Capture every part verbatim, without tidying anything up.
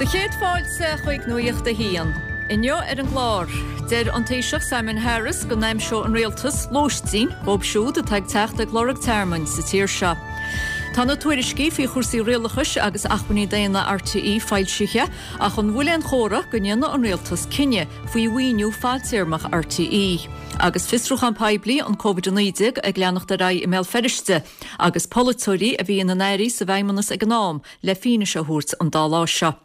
Do chéad fáilte chuig Nuacht a hAon. Inniu ar an gclár, deir an Taoiseach Simon Harris go n-aimseoidh an rialtas lóistín dóibh siúd atá ag teacht ag lorg tearmainn sa tír seo. Tá na tuairiscí faoi chúrsaí rialachais agus acmhainní daonna RTÉ foilsithe ach an bhfuil aon chomhartha go ndéanfaidh an rialtas cinneadh faoi mhaoiniú fadtéarmach RTÉ. Agus fiosrúchán poiblí an Covid a naoi déag ag leanacht ar aghaidh i mBéal Feirste, agus polaiteoirí a bhí ina n-airí sa bhFeidhmeannas ag an am le fianaise a thabhairt an dá lá seo.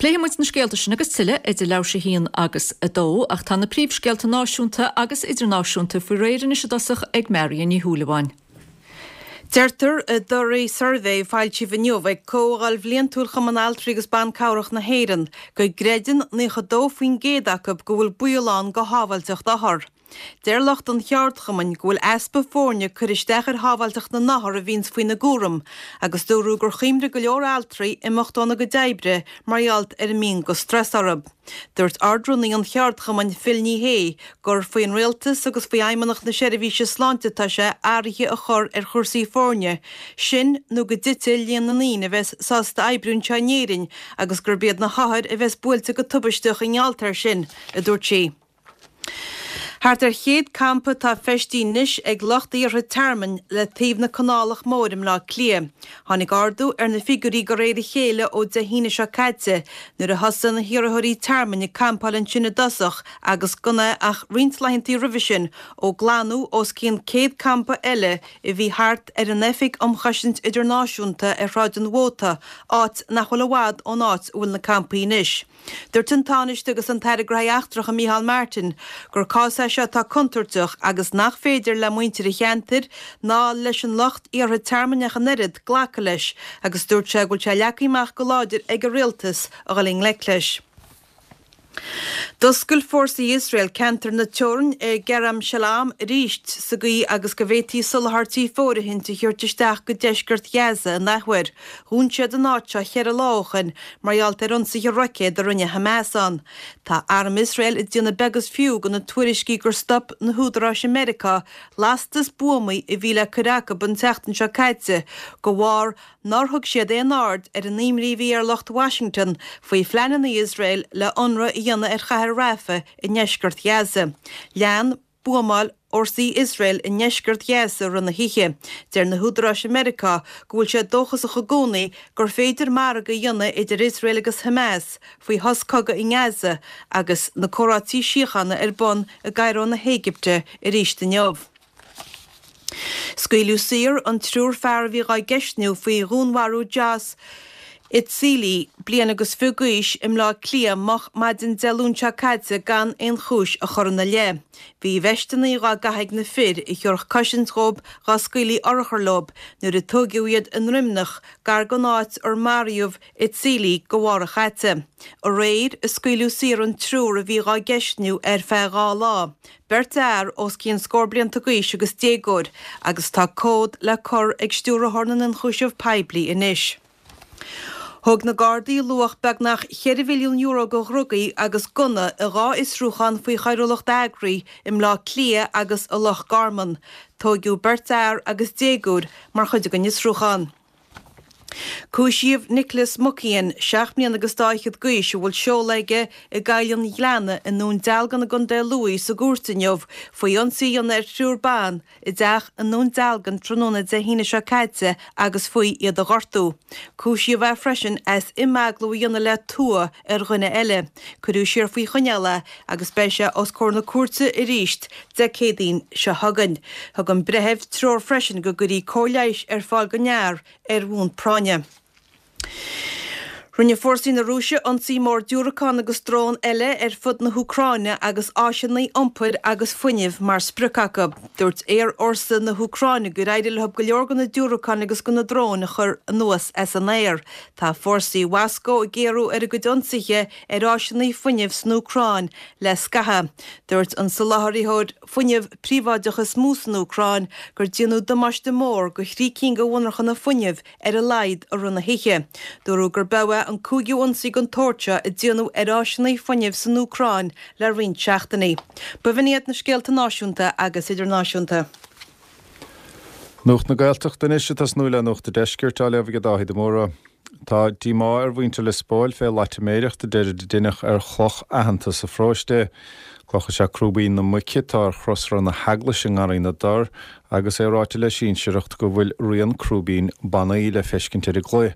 Pléifidh muid na scéalta sin agus tuilleadh idir leathuair tar éis a haon agus a dó, ach tá na príomhscéalta náisiúnta agus idirnáisiúnta faoi réir anois i dtosach ag Marion Ní Shúilleabháin. Deirtear i dtorthaí suirbhé foilsithe inniu ag Comhdháil Bhliantúil Chumann Altraí agus Ban Cabhrach na hÉireann go gcreideann nócha dó faoin gcéad acu go bhfuil baol ann go shábháilteacht othar. Deir lucht an cheardchumainn go bhfuil easpa foirne ag cur isteach ar shábháilteacht na n-othar a bhíonns faoina gcúram agus dúradh gur chuimhnigh go leor altraí imeacht óna gcuid oibre mar gheall ar an mian go strus orthu. Dúirt Ard-Rúnaí an cheardchumainn Phil Ní Sheaghdha gur faoin rialtas agus faoi Fheidhmeannacht na Seirbhíse Sláinte atá sé athruithe a chur ar chúrsaí foirne, sin nó go dtitfidh líon na ndaoine a bheas sásta oibriú anseo in Éirinn agus gurb iad na hothair a bheas buailte go tubaisteach i ngeall air sin, a dúirt sí. Thart ar chéad campa atá feistithe anois ag lucht iarrtha tearmainn le taobh na Canálach Móire i mBleá Cliath. Tháinig ardú ar na figiúirí de réir a chéile ó Dé hAoine seo caite nuair a thosaigh na hiarrthóirí tearmainn ag campáil ansin i dtosach agus gan é ach roinnt laethanta roimhe sin ó glanadh os cionn céad campa eile a bhí thart ar an Oifig um Chosaint Idirnáisiúnta ar Shráid an Mhóta, áit nach bhfuil i bhfad ón áit a bhfuil na campaí anois. Dúirt an Tánaiste agus an tAire Gnóthaí Eachtracha Micheál Martin gur cás é seo atá contúirteach agus nach féidir le muintir an cheantair ná leis an lucht iarrtha tearmainn ach an oiread glacadh leis agus dúirt sé go bhfuil sé leagtha amach go láidir ag an rialtas a dhul i ngleic leis. D'oscail fórsaí Iosrael ceantar na teorann i gCerem Shalom arís sa gcaoi agus go bhféadfaí soláthairtí fóirithint a thabhairt isteach go deisceart Ghaza an athuair. Dhún siad an áit seo cheithre lá ó shin mar gheall ar ionsaithe roicéad a rinne Hamas ann. Tá arm Iosrael ag déanamh beag is fiú de na tuairiscí gur stop na húdaráis i Meiriceá lastas buamaí a bhí le cur acu an tseachtain seo caite de bharr nár thug siad aon aird ar an imní a bhí ar lucht Washington faoi phleananna Iosrael le hionradh a dhéanamh ar chathair Rafah i ndeisceart Ghaza. Lean buamáil fhórsaí Iosrael i ndeisceart Ghaza i rith na hoíche. Deir na húdaráis i Meiriceá go bhfuil sé dóchasach i gcónaí gur féidir margadh a dhéanamh idir Iosrael agus Hamas faoi shos cogaidh i nGaza agus na comhráití síochána ar bun i gCairo na hÉigipte arís inniu. Scaoileadh saor an triúr fear a bhí á gceistniú faoi dhúnmharú Josh Itsieli, bliain agus fiche d'aois, i mBleá Cliath moch maidin Dé Luain seo caite gan aon chúis a chur ina leith. Bhí veisteanna dhá gcaitheamh ag na fir a thabharfadh cosaint dhóibh dhá scaoilfí urchar leo nuair a tóigeadh iad i nDroimneach gar don áit ar maraíodh Itsieli go mhárach chaite. Aréir a scaoileadh saor an triúr a bhí dhá gceistniú ar feadh dhá lá, beirt fhear os cionn scór blianta d'aois agus déagóir, agus tá comhad le cur ag Stiúrthóir na nIonchúiseamh Poiblí anois. Thóg na Gardaí luach beagnach cheithre mhilliún euro de dhrugaí agus gunna i dhá fhiosrúchán faoi choiriúlacht eagraithe i mBleá Cliath agus i Loch Garman. Tóigeadh beirt fhear agus déagóir mar chuid den fhiosrúchán. Cúisíodh Nicholas Muckian, seacht mbliana agus dá fhichead d'aois, a bhfuil seoladh aige i gCoill an Ghleanna i nDún Dealgan i gContae Lú sa gcúirt inniu faoi ionsaí a dhéanamh ar thriúr ban i dteach i nDún Dealgan tráthnóna Dé hAoine seo caite agus faoi iad a ghortú. Cúisíodh é freisin as imeaglú a dhéanamh le tua ar dhuine eile. Cuireadh siar faoi choinneáil é agus beidh sé os comhair na cúirte arís Dé Céadaoin seo chugainn. Thug an breitheamh treoir freisin go gcuirfí cóir leighis ar fáil don fhear ar bhonn práinne. Rinne fórsaí na Rúise ionsaí mór diúracán agus drón eile ar fud na hÚcráine agus áiseanna iompair agus fuinnimh mar sprioc acu. Dúirt aerfhórsa na hÚcráine gur éirigh leo go leor de na diúracáin agus de na dróin a chur anuas as an aer. Tá fórsaí Mhoscó ag géarú ar a gcuid ionsaithe ar áiseanna fuinnimh san Úcráin le scaitheamh. Dúirt an soláthraítheoir fuinnimh príobháideach is mó san Úcráin gur déanadh damáiste mór go thrí cinn de mhonarchana fuinnimh ar a laghad i rith na hoíche. Dúradh gurb é an cúigiú ionsaí den tsórt seo a déanadh ar áiseanna fuinnimh san Úcráin le roinnt seachtainí. B'in iad na scéalta náisiúnta agus idirnáisiúnta. Nuacht na Gaeltachta anois ag tosnú le Nuacht an Deiscirt á léamh ag Dáithí de Mórdha. Tá díomá ar mhuintir Lios Póil fé loitiméireacht a deirid a deineadh ar chloch aitheanta sa pharóiste. Cloch is ea Crúibín na Muice atá ar chrosra na heaglaise i nGarraí na dTor agus é ráite le sinsearacht go bhfuil rian crúibín bannaí le feiscint ar an gcloich.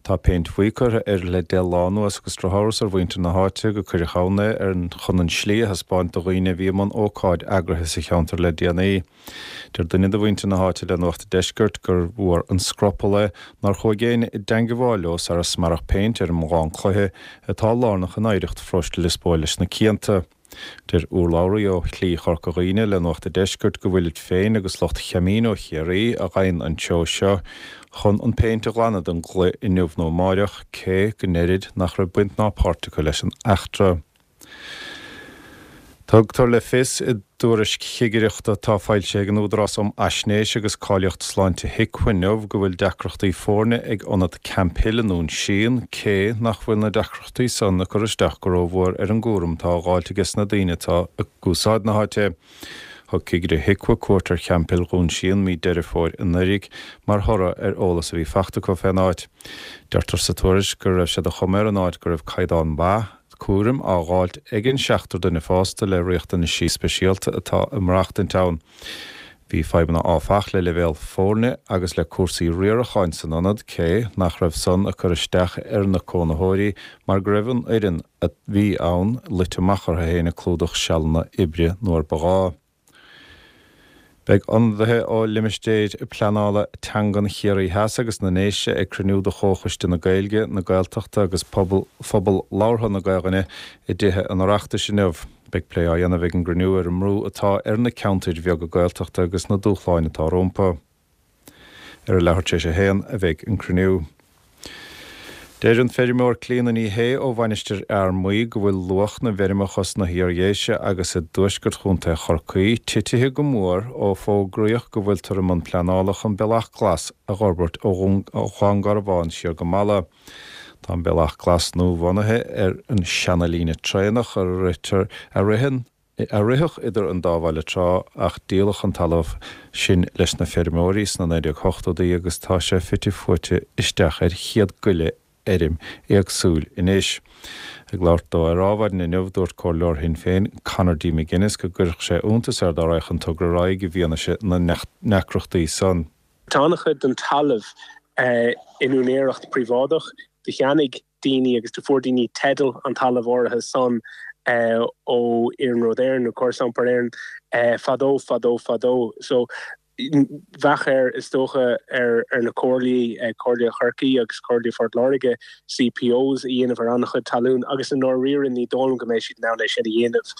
Tá péint bhuí curtha air le deich lá anuas agus drochamhras ar mhuintir na háite gur cuireadh ann é ar chun an slí a thaispeáint do dhaoine a bhí i mbun ócáid eagraithe sa cheantar le déanaí. Deir duine de mhuintir na háite le Nuacht an Deiscirt gur mhór an scrupall é nár chuaigh éinne i dteangmháil leo sara smearadh péint ar an mbogán cloiche atá lárnach in oidhreacht pharóiste Lios Póil leis na cianta. Deir urlabhraí ó Shlí Chorca Dhuibhne le Nuacht an Deiscirt go bhfuilid féin agus lucht Chamino Chiarraí a ghabhann an tseó seo chun an péint a ghlanadh den gcloich inniu nó amáireach, cé go ndeirid nach raibh baint ná páirt acu leis an eachtra. Tugtar le fios i dtuairisc chigireachta atá foilsithe ag an Údarás um Fhaisnéis agus Cáilíocht Sláinte HIQA inniu go bhfuil deacrachtaí foirne ag ionad Camphill i nDún Síon, cé nach bhfuil na deacrachtaí san ag cur isteach go rómhór ar an gcúram atá á dháilt aige sna daoine atá ag úsáid na háite. Thug cigire HIQA cuairt ar Champhill Dhún Síon mí Deireadh Fómhair anuraidh mar thoradh ar eolas a bhí fachta acu fén áit. Deirtear sa tuairisc go raibh sé de chuma ar an áit go raibh caighdeán maith cúraim á dháilt ag an seachtar duine fásta le riachtanaisí speisialta atá ag maireachtaint ann. Bhí fadhbanna áfach le leibhéal foirne agus le cúrsaí riaracháin san ionad, cé nach raibh san ag cur isteach ar na cónaitheoirí mar go raibh an fhoireann a bhí ann luite amach orthu féin ag clúdach sealanna oibre nuair ba ghá. Beidh ionadaithe ó limistéir pleanála teangan Chiarraí Theas agus na nDéise ag cruinniú de Chomhchoiste na Gaeilge, na Gaeltachta agus pobal phobal labhartha na Gaelainne i dTithe an Oireachtais inniu. Beidh plé á dhéanamh ag an gcruinniú ar an mbrú atá ar na ceantair bheaga Gaeltachta agus na dúshláin atá rompu. Ar a leathuair tar éis a haon a bheidh an cruinniú. Deir an feirmeoir Clíona Ní Shé ó Mhainistir Fhear Maí go bhfuil luach na bhfeirmeacha sna hIardhéise agus i dtuaisceart Chontae Chorcaí titithe go mór ó fógraíodh go bhfuiltear i mbun pleanála chun bealach glas a fhorbairt ó Dhún Garbhán siar go Mala. Tá an bealach glas nua-bhunaithe ar an seana-líne traenach a ritear a ritheann a ritheadh idir an dá bhaile tráth ach díoladh an talamh sin leis na feirmeoirí sna naoi déag ochtóidí agus tá sé fite fuaite isteach ar chéad go leith fheirm éagsúil anois. Ag labhairt dó ar Adhmhaidin inniu, dúirt Comhairleoir Shinn Féin, Conor D. McGuinness, go gcuirfeadh sé iontas air dá raghadh an togra ar aghaidh i bhfianaise na ndeacrachtaí san. Tá an-chuid den talamh in úinéireacht príobháideach. Do cheannaigh daoine agus do fuair daoine teideal an talamh áirithe san ó Iarnród Éireann nó Córas Iompair Éireann fadó, fadó, fadó. So bheadh air, is dócha, ar na comhairlí, Comhairle Chorcaí agus Comhairle Phort Láirge, CPOs a dhéanamh ar an-chuid talún agus i ndáiríre ní dóigh liom go mbeidh siad in ann é sin a dhéanamh.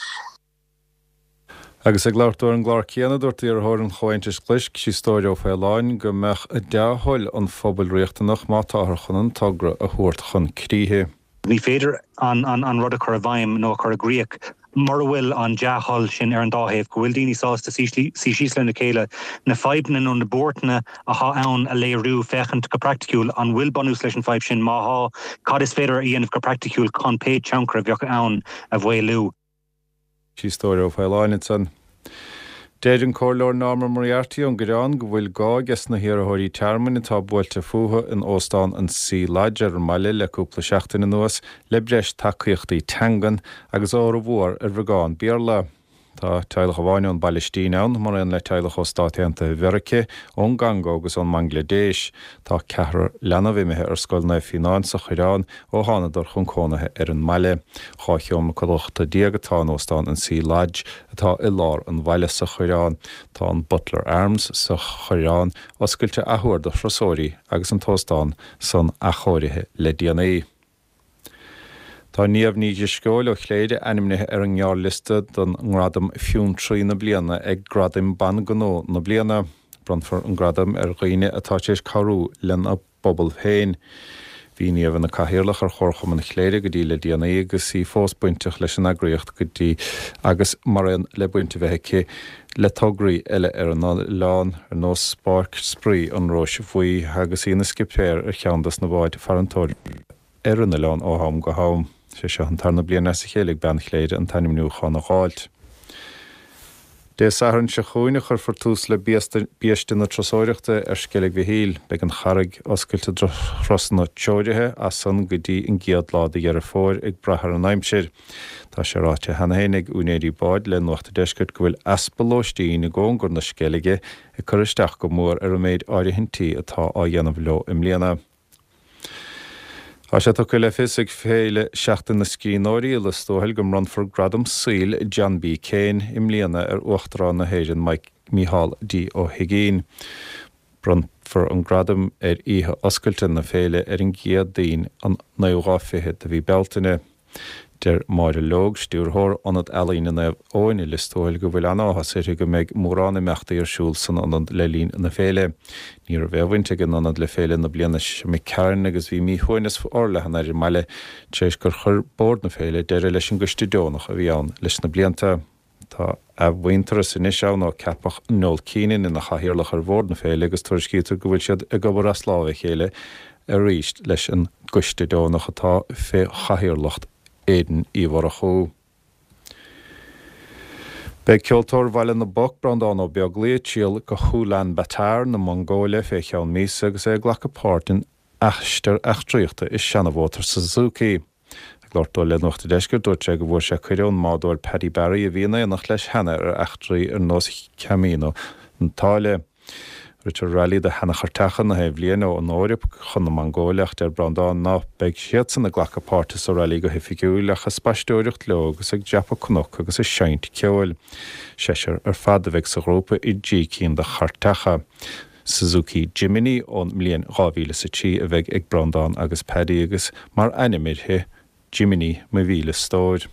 Agus ag labhairt dó ar an gclár céanna, dúirt iarrthóir an Chomhaontais Ghlais, Críostóir Ó Faoláin, go mbeadh dea-thoil an phobail riachtanach má táthar chun an togra a thabhairt chun críche. Ní féidir an rud a chur i bhfeidhm nó a chur i gcrích mura bhfuil an dea-thoil sin ar an dá thaobh, go bhfuil daoine sásta suí síos lena chéile, na fadhbanna nó na buairteanna atá ann a léiriú, féachaint go praiticiúil an bhfuil bunús leis an bhfadhb sin, má thá, cad is féidir a dhéanamh go praiticiúil chun pé tionchar a bheadh ann a mhaolú. Críostóir Ó Faoláin ansan. Deir an Comhairleoir Norma Moriarty ón gCoireán go bhfuil gá ages na hiarrthóirí tearmainn atá buailte fúthu in Óstán an Sea Lodge ar an mbaile le cúpla seachtain anuas le breis tacaíochtaí teangan agus fhormhór ar bheagán Béarla. Tá teaghlach amháin ón bPailistín ann, mar aon le teaghlach ó Stáit Aontaithe Mheiriceá, ón gCongó agus ón mBanglaidéis. Tá ceathrar leanbh imithe ar Scoil Naomh Fíonán sa Choireán ó thánadar chun cónaithe ar an mbaile. Dhá sheomra codlata déag atá in Óstán an Sea Lodge atá i lár an bhaile sa Choireán. Tá an Butler Arms sa Choireán oscailte athuair do thurasóirí agus an t-óstán san athchóirithe le déanaí. Tá Niamh Ní Drisceoil ó Chléire ainmnithe ar an ngearrliosta don ngradam Fiontraí na Bliana ag Gradaim Ban Gnó na Bliana. Bronnfar an gradam ar dhaoine atá tar éis cabhrú lena bpobal féin. Bhí Niamh ina cathaoirleach ar Chomharchumann Chléire go dtí le déanaí agus í fós bainteach leis an eagraíocht go dtí agus mar aon le baint a bheith aici le tograí eile ar an oileán ar nós Páirc Spraoi an Róis Bhuí agus í ina scipéir ar cheann dos na báid farantóirí ar an oileán ó am go ham. Sé seo an tarna bliain as a chéile ag bean Chléire an t-ainmniúchán a dh'fháilt. Dé Sathairn seo chugainn a chuirfear tús le biaiste na turasóireachta ar Sceilg Mhichíl. Beidh an charraig oscailte do thurasanna treoraithe as san go dtí an gcéad lá de Dheireadh Fómhair ag brath ar an aimsir. Tá sé ráite cheana féin ag úinéirí báid le Nuacht an Deiscirt go bhfuil easpa lóistín i gcóngar na Sceilge ag cur isteach go mór ar an méid áirithintí atá á dhéanamh leo i mbliana. Tá sé tugtha le fios ag Féile Seachtain na Scríbhneoirí i Lios Tuathail go mbronnfar Gradam Saoil John B. Keane i mbliana ar Uachtarán na hÉireann Micheál D. Ó hUigínn. Bronnfar an gradam ar oíche oscailte na féile ar an gCéadaoin an naoú lá fichead de mhí Bealtaine. Deir Máire Logue, stiúrthóir Ionad Ealaíne Naomh Eoin i Lios Tuathail go bhfuil an-áthas uirthi go mbeidh mórán imeachtaí ar siúl san ionad le linn na féile. Ní raibh aon bhaint ag an ionad le féile na bliana seo imigh tharainn agus bhí míshuaimhneas forleathan ar an mbaile tar éis gur chuir bord na féile deireadh leis an gcoiste deonach a bhí ann leis na blianta. Tá athmhuintearas anois ann ó ceapadh Noel Keenan ina chathaoirleach ar bhord na féile agus tuairiscítear go bhfuil siad ag obair as lámh a chéile arís leis an gcoiste deonach atá fé chathaoirleacht Aiden Uí Mhurchú. Beidh ceoltóir Bhaile na bPoc, Breandán Ó Beaglaoi, ag triall go hUlaanbaatar na Mongóile fé cheann míosa agus é ag glacadh páirt in aistear eachtraíochta i seanamhótar Suzuki. Ag labhairt dó le Nuacht an Deiscirt, dúirt sé go bhfuair sé cuireadh ón mbádóir Paddy Barry a bhí in éineacht leis cheana ar eachtraí ar nós Camino na tSáile. Ritear railí do sheanachairteacha na haon bhliain ón Eoraip chun na Mongóile ach deir Breandán ná beidh siadsan ag glacadh páirte sa railí go hoifigiúil ach ag spaisteoireacht leo agus ag dreapadh cnoc agus ag seinnt ceoil. Seisear ar fad a bheidh sa ghrúpa i dtrí cinn de chairteacha. Suzuki Jimny ón mbliain dhá mhíle is a trí a bheidh ag Breandán agus Paddy agus mar ainm uirthi, Jiminy mo mhíle stór.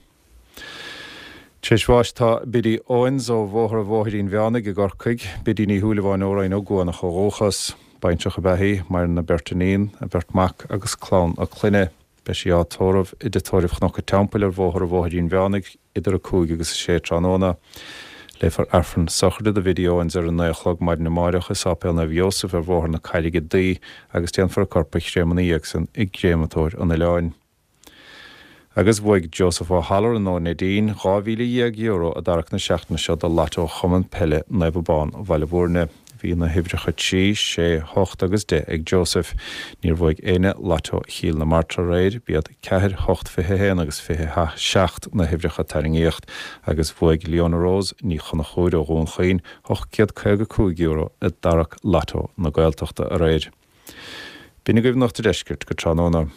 Tar éis bháis tá Biddy Owens ó Bhóthar an Bhóithrín Mheánaigh i gCorcaigh, Biddy Ní Shúilleabháin ó Rinn Ó gCuanach ó dhúchas. Baintreach ab ea í, maireann a beirt iníon, a beirt mac agus clann a clainne. Beidh sí á tórramh i dTigh Tórraimh Chnoc an Teampaill ar Bhóthar an Bhóithrín Mheánaigh idir a cúig agus a sé tráthnóna. Léifear Aifreann sochraide do Bhiddy Owens ar a naoi a chlog maidin amárach i Sáipéal Naomh Iósaf ar Bhóthar na Carraige Duí agus déanfar a corp a chréamadh ina dhiaidh san i gcréamatóir an oileáin. Agus bhuaigh Joseph O'Halloran ó Neidín dhá mhíle dhéag euro i dtarrac na seachtaine seo do Lotto Chumann Peile Naomh Abán Bhaile Bhúirne. Bhí na huimhreacha trí, sé, hocht agus deich ag Joseph. Níor bhuaigh éinne Lotto Chill na Martra aréir, b'iad ceathair, hocht, fiche haon agus fiche seacht na huimhreacha a tarraingíodh agus bhuaigh Leona Rose Ní Chonchúir ó Dhún Chaoin ocht gcéad caoga cúig euro i dtarrac Lotto na Gaeltachta aréir. B'in agaibh Nuacht an Deiscirt go tráthnóna.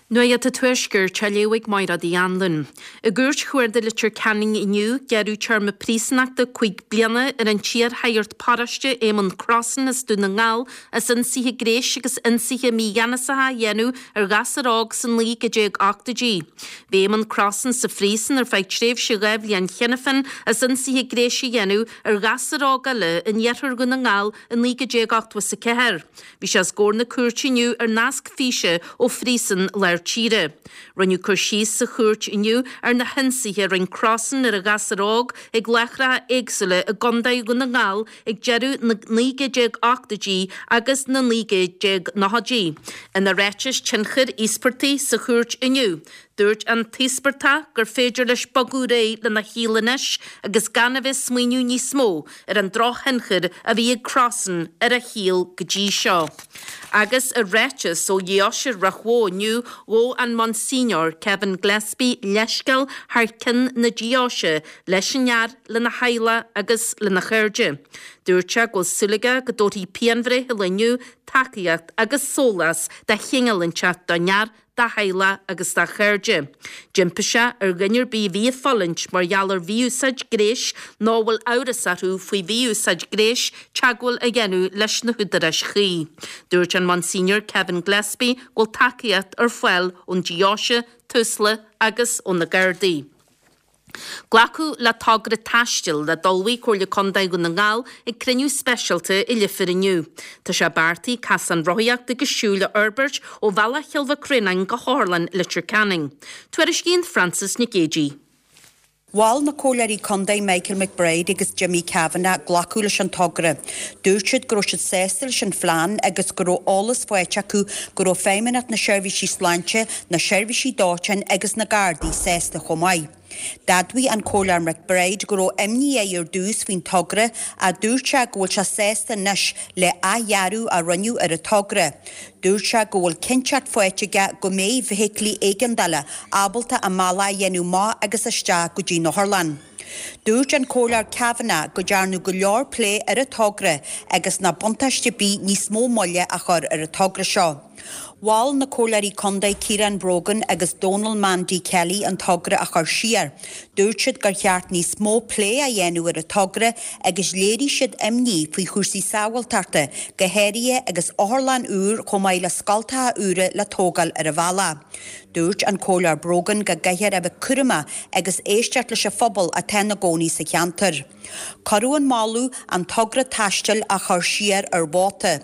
Nuacht an Tuaiscirt á léamh ag Máire Uí Anluain. I gCúirt Chuarda Leitir Ceanainn inniu, gearradh téarma príosúnachta cúig bliana ar an t-iarshagart paróiste Éamonn Crossan as Dún na nGall as ionsaithe gnéis agus ionsaithe mígheanasacha a dhéanamh ar ghasúr óg sna naoi déag ochtóidí. Bhí Éamonn Crossan sa phríosún ar feadh tréimhse dhá bhliain cheana féin as ionsaithe gnéis a dhéanamh ar ghasúr óg eile in iarthar Dhún na nGall i naoi déag ochtó is a ceathair. Bhí sé os comhair na cúirte inniu ar nasc físe ó phríosún lár tíre. Rinneadh cur síos sa chúirt inniu ar na hionsaithe a rinne Crossan ar an ghasúr óg ag láithreacha éagsúla i gContae Dhún na nGall ag deireadh na naoi déag ochtóidí agus na naoi déag nóchaidí. Ina ráiteas tionchair íospartaigh sa chúirt inniu, dúirt an t-íospartach gur féidir leis bogadh ar aghaidh lena shaol anois agus gan a bheith ag smaoineamh níos mó ar an drochthionchar a bhí ag Crossan ar a shaol go dtí seo. Agus i ráiteas ó Dheoise Ráth Bhoth inniu, ghabh an Monsignor Kevin Gillespie leithscéal thar cionn na deoise leis an fhear, lena theaghlach agus lena chairde. Dúirt sé go bhfuil súil aige go dtabharfaidh pianbhreith an lae inniu tacaíocht agus sólás de chineál inteacht don fhear, dá theaghlach agus dá chairde. D'impigh sé ar dhuine ar bith a bhí ag fulaingt mar gheall ar mhí-úsáid gnéis nó a bhfuil amhras orthu faoi mhí-úsáid gnéis teagmháil a dhéanamh leis na húdaráis chuí. Dúirt an Monsignor Kevin Gillespie go bhfuil tacaíocht ar fáil ón deoise, Tusla agus ó na Gardaí. Glacadh le togra taistil a d'ullmhaigh Comhairle Contae Dhún na nGall ag cruinniú speisialta i Leifear inniu. Tá sé beartaithe casán rothaíochta agus siúil a fhorbairt ó Bhealach Chill Mhic Réanáin go hOtharlann Leitir Ceanainn. Tuairiscíonn Frances Nic Géadaigh. Mhol na Comhairleoirí Contae Michael McBride agus Jimmy Kavanagh glacadh leis an togra. Dúirt siad go raibh siad sásta leis an phlean agus go raibh eolas faighte acu go raibh Feidhmeannacht na Seirbhísí Sláinte, na seirbhísí dóiteáin agus na Gardaí sásta chomh maith. D'admhaigh an Comhairleoir McBride go raibh imní air ar dtús faoin togra ach dúirt sé go bhfuil sé sásta anois le athdhearadh a rinneadh ar an togra. Dúirt sé go bhfuil cinnteacht faighte aige go mbeidh feithiclí éigeandála ábalta a mbealach a dhéanamh amach agus isteach go dtí an otharlann. Dúirt an Comhairleoir Kavanagh go ndearnadh go leor plé ar an togra agus nach buntáiste ar bith níos mó moille a chur ar an togra seo. Mhol na Comhairleoirí Contae Ciarán Brogan agus Donal Mandy Kelly an togra a chur siar. Dúirt siad gur cheart níos mó plé a dhéanamh ar an togra agus léirigh siad imní faoi chúrsaí sábháilteachta, go háirithe agus otharlann úr chomh maith le scoltacha úra le tógáil ar an bhealach. Dúirt an Comhairleoir Brogan go gcaithfear a bheith cúramach agus éisteacht leis an phobal atá ina gcónaí sa cheantar. Cuireadh an moladh an togra taistil a chur siar ar vóta.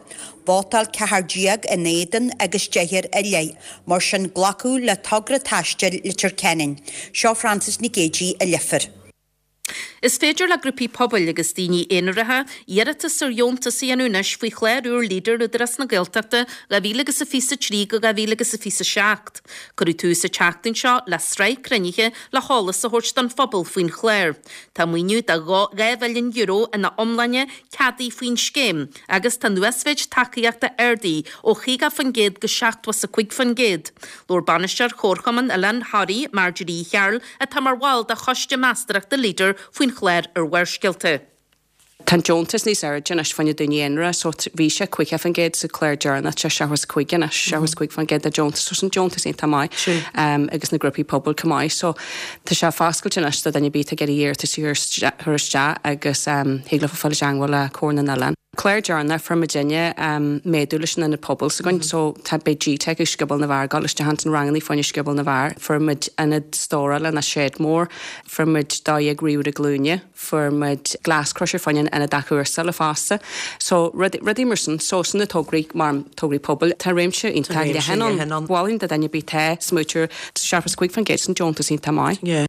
Vótáil ceathair déag in éadan agus deichniúr i leith, mar sin glacadh le togra taistil Leitir Ceanainn. Seo Frances Nic Géadaigh i Leifear. Is féidir le grúpaí pobail agus daoine aonaracha iarratas ar dheontas a dhéanamh anois faoi chlár úr Leader Údarás na Gaeltachta dhá mhíle agus a fiche a trí go dhá mhíle agus a fiche a seacht. Cuireadh tús an tseachtain seo le sraith cruinnithe le heolas a thabhairt don phobal faoin chlár. Tá maoiniú de dhá mhilliún euro ina iomláine ceadaithe faoin scéim agus tá an uasmhéid tacaíochta ardaithe ó chaoga faoin gcéad go seachtó is a cúig faoin gcéad. Labhair Bainisteoir Chomharchumann Oileán Thoraí, Marjorie Uí Chearúil, atá mar bhall de choiste meastóireachta Leader faoin chlár ar Bharrscéalta. Tá an deontas níos airde anois fá choinne daoine aonair so bhí sé caoga faoin gcéad sa chlár deireanach sé seachtó is cúig anois, seachtó is cúig faoin gcéad de deontas so an deontas iontach maith agus na grúpaí pobail chomh maith so tá sé foscailte anois do duine ar bith ag iarraidh iarratas a chur isteach agus thig leofa fáil i dteangmháil le Comhar na nOileán. Clár deireanach fuair muidinne méadú leis an ionad pobail s'againn so tá beidh G-Tech ag Scioból na bhFear ag dul isteach ins an ranganna fá choinne Scioból na bhFear. Fuair muid ionad stórála ná shed mór, fuair muid dó dhéag ríomhaire glúine, fuair muid glass crusher fá choinne an ionad athchúrsála fosta. So rudaí mar sin, so sin na tograí mar tograí pobail. Tá réimse iontach leathan ann. Mholfainn do duine ar bith atá ag smaoitiú seachtó is cúig faoin gcéad san deontas iontach maith.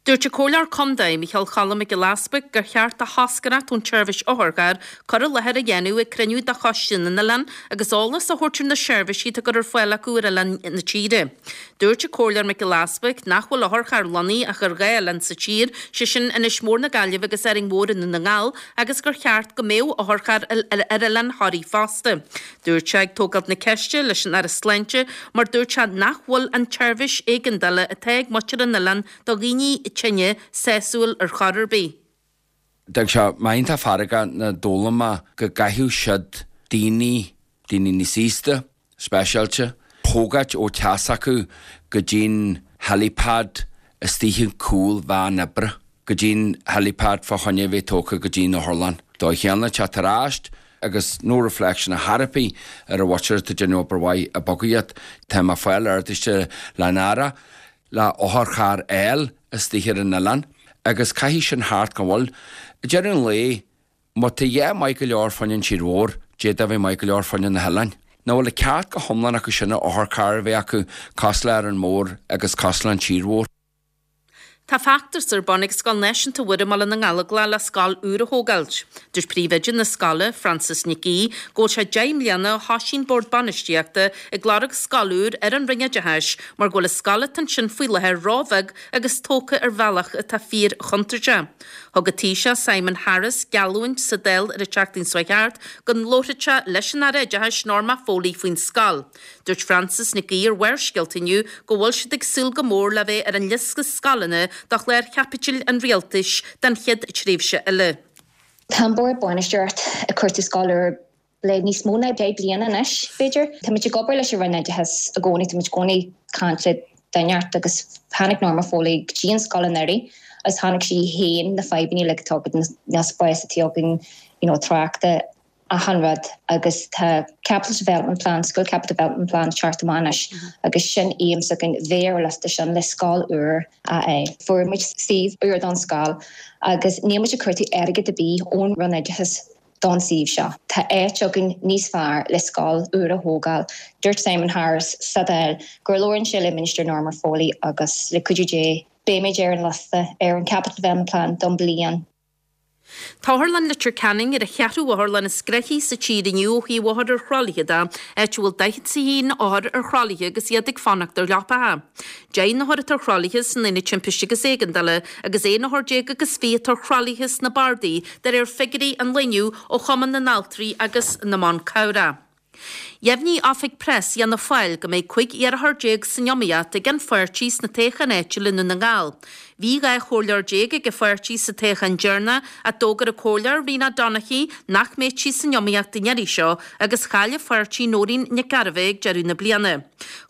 Dúirt an Comhairleoir Contae, Micheál Choilm Mac Giolla Easbuig, gur cheart do thoscaireacht ón tseirbhís otharchairr cur i láthair a dhéanamh ag cruinniú de Choiste na nOileán agus eolas a thabhairt ar na seirbhísí atá á gcur ar fáil acu ar oileáin na tíre. Dúirt an Comhairleoir Mac Giolla Easbuig nach bhfuil otharcharr lonnaithe ach ar dhá oileán sa tír, sé sin Inis Mór na Gaillimhe agus Árainn Mhór i nDún na nGall, agus gur cheart go mbeadh otharcharr ar oileán Thoraí fosta. Dúirt sé ag tógáil na ceiste leis an Aire Sláinte mar dúirt sé nach bhfuil an tseirbhís éigeandála atá ag muintir an oileáin do dhaoine tinne sásúil ar chor ar bith. D'fhág sé mé iontach feargach nuair a d'fhoghlaim mé go gcaithfeadh siad daoine, daoine níos aosta, speisialta, thógáilt ó teach s'acu go dtí'n helipad istigh in cúl veain oibre, go dtí'n helipad fá choinne a bheith tógtha go dtí'n otharlann. Dóigh chéanna teacht ar ais agus no reflection ar chor ar bith ar an mhuintir atá ag déanamh obair mhaith ag bogadh iad. Tá mé ag fáil ardaiste leis an Aire le otharcharr a fháil istigh ar an oileán agus caithfidh sin thart gan mhoill. Ag deireadh an lae, má tá a dhath maith go leor fá choinne an tír mhór, d'fhéadfadh a bheith maith go leor fá choinne na hoileáin. Nach bhfuil an ceart go hiomlán acu sin otharcharr a bheith acu cosúil le Árainn Mhór agus cosúil le an tír mhór. Tá feachtas ar bun ag Scoil Náisiúnta Mhuire i mBaile na nGallóglach le scoil úr a thógáilt. Dúirt príomhoide na scoile, Frances Nic Aoidh, go bhfuil sé deich mbliana ó thosaigh an Bord Bainistíochta ag lorg scoil úr ar an Roinn Oideachais mar go bhfuil an scoil atá ansin faoi láthair róbheag agus tógtha ar bhealach atá fíor-chontúirteach. Thug an Taoiseach Simon Harris geallúint sa Dáil ar an tseachtain seo thart go labharfadh sé leis an Aire Oideachais Norma Foley faoin scoil. Dúirt Frances Nic Aoidh ar Bharrscéalta inniu go bhfuil siad ag súil go mór le bheith ar an liosta scoileanna do chlár chaipitil an rialtais don chéad tréimhse eile. Tá an bord bainistíochta ag cuartú scoil úr le níos mó ná deich bliana anois, b'fhéidir. Tá muid ag obair leis an Roinn Oideachais i gcónaí, tá muid i gcónaí ag caint le duine inteacht agus tháinig Norma Foley go dtí an scoil anuraidh agus chonaic sí féin na fadhbanna uilig atá againn, na spás atá againn, you know, tráchta, achan rud agus tá Capital Development Plan, School Capital Development Plan teacht amach anois agus sin aidhm s'againn bheith ar an liosta sin le scoil úr a fháil. Fuair muid suíomh úr don scoil agus níl muid ag cuartú airgead ar bith ón Roinn Oideachais don suíomh seo. Tá áit againn níos fearr le scoil úr a thógáil. Dúirt Simon Harris sa Dáil gur labhrann sé le Minister Norma Foley agus le cuidiú Dé beimid ar an liosta ar an Capital Development Plan don bliain. Tá Otharlann Leitir Ceanainn ar an cheathrú otharlann is gnoithí sa tír inniu ó thaobh othar ar thralaithe de, áit a bhfuil daichead is a haon othar ar thralaithe agus iad ag fanacht ar leapacha. Deich n-othar atá ar thralaithe san Aonad Timpiste agus Éigeandála agus aon othar déag agus fiche atá ar thralaithe sna bardaí, de réir figiúirí an lae inniu ó Chumann na nAltraí agus na mBan Cabhrach. Dheimhnigh Oifig Preas Fhianna Fáil go mbeidh cúig iarrthóir déag san iomaíocht ag an pháirtí sna toghcháin áitiúla i nDún na nGall. Bhí dhá chomhairleoir déag ag an pháirtí sa toghchán deireanach ach d'fhógair an comhairleoir Rena Donaghey nach mbeadh sí san iomaíocht an iarraidh seo agus chaill a pháirtí Nóirín Nic Gairbheith ag deireadh na bliana.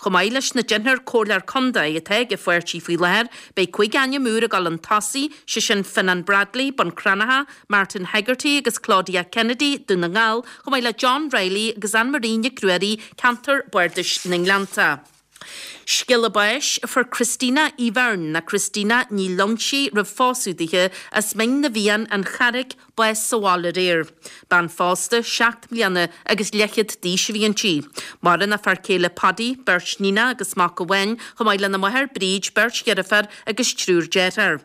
Chomh maith leis na deichniúr comhairleoir contae atá ag an pháirtí faoi láthair, beidh cúig ainm úr ag dul chun tosaigh, sé sin Fionnán Bradley, Bun Cranncha, Martin Hegarty agus Claudia Kennedy, Dún na nGall, chomh maith le John Reilly agus Anne Marie Nic Ruairí, Ceantar Bardais na nGleannta. Scéala báis a fuair Christina Uí Bheirn, nó Christina Ní Loingsigh roimh phósadh dithe, as Mín na bhFiann, An Charraic, bás sa bhaile aréir. Bean phósta seacht mbliana agus leathchéad d'aois a bhí inti. Maireann a fear céile Paddy, beirt níonach agus mac amháin, chomh maith lena máthair Bríd, beirt dheirféar agus triúr dearthár.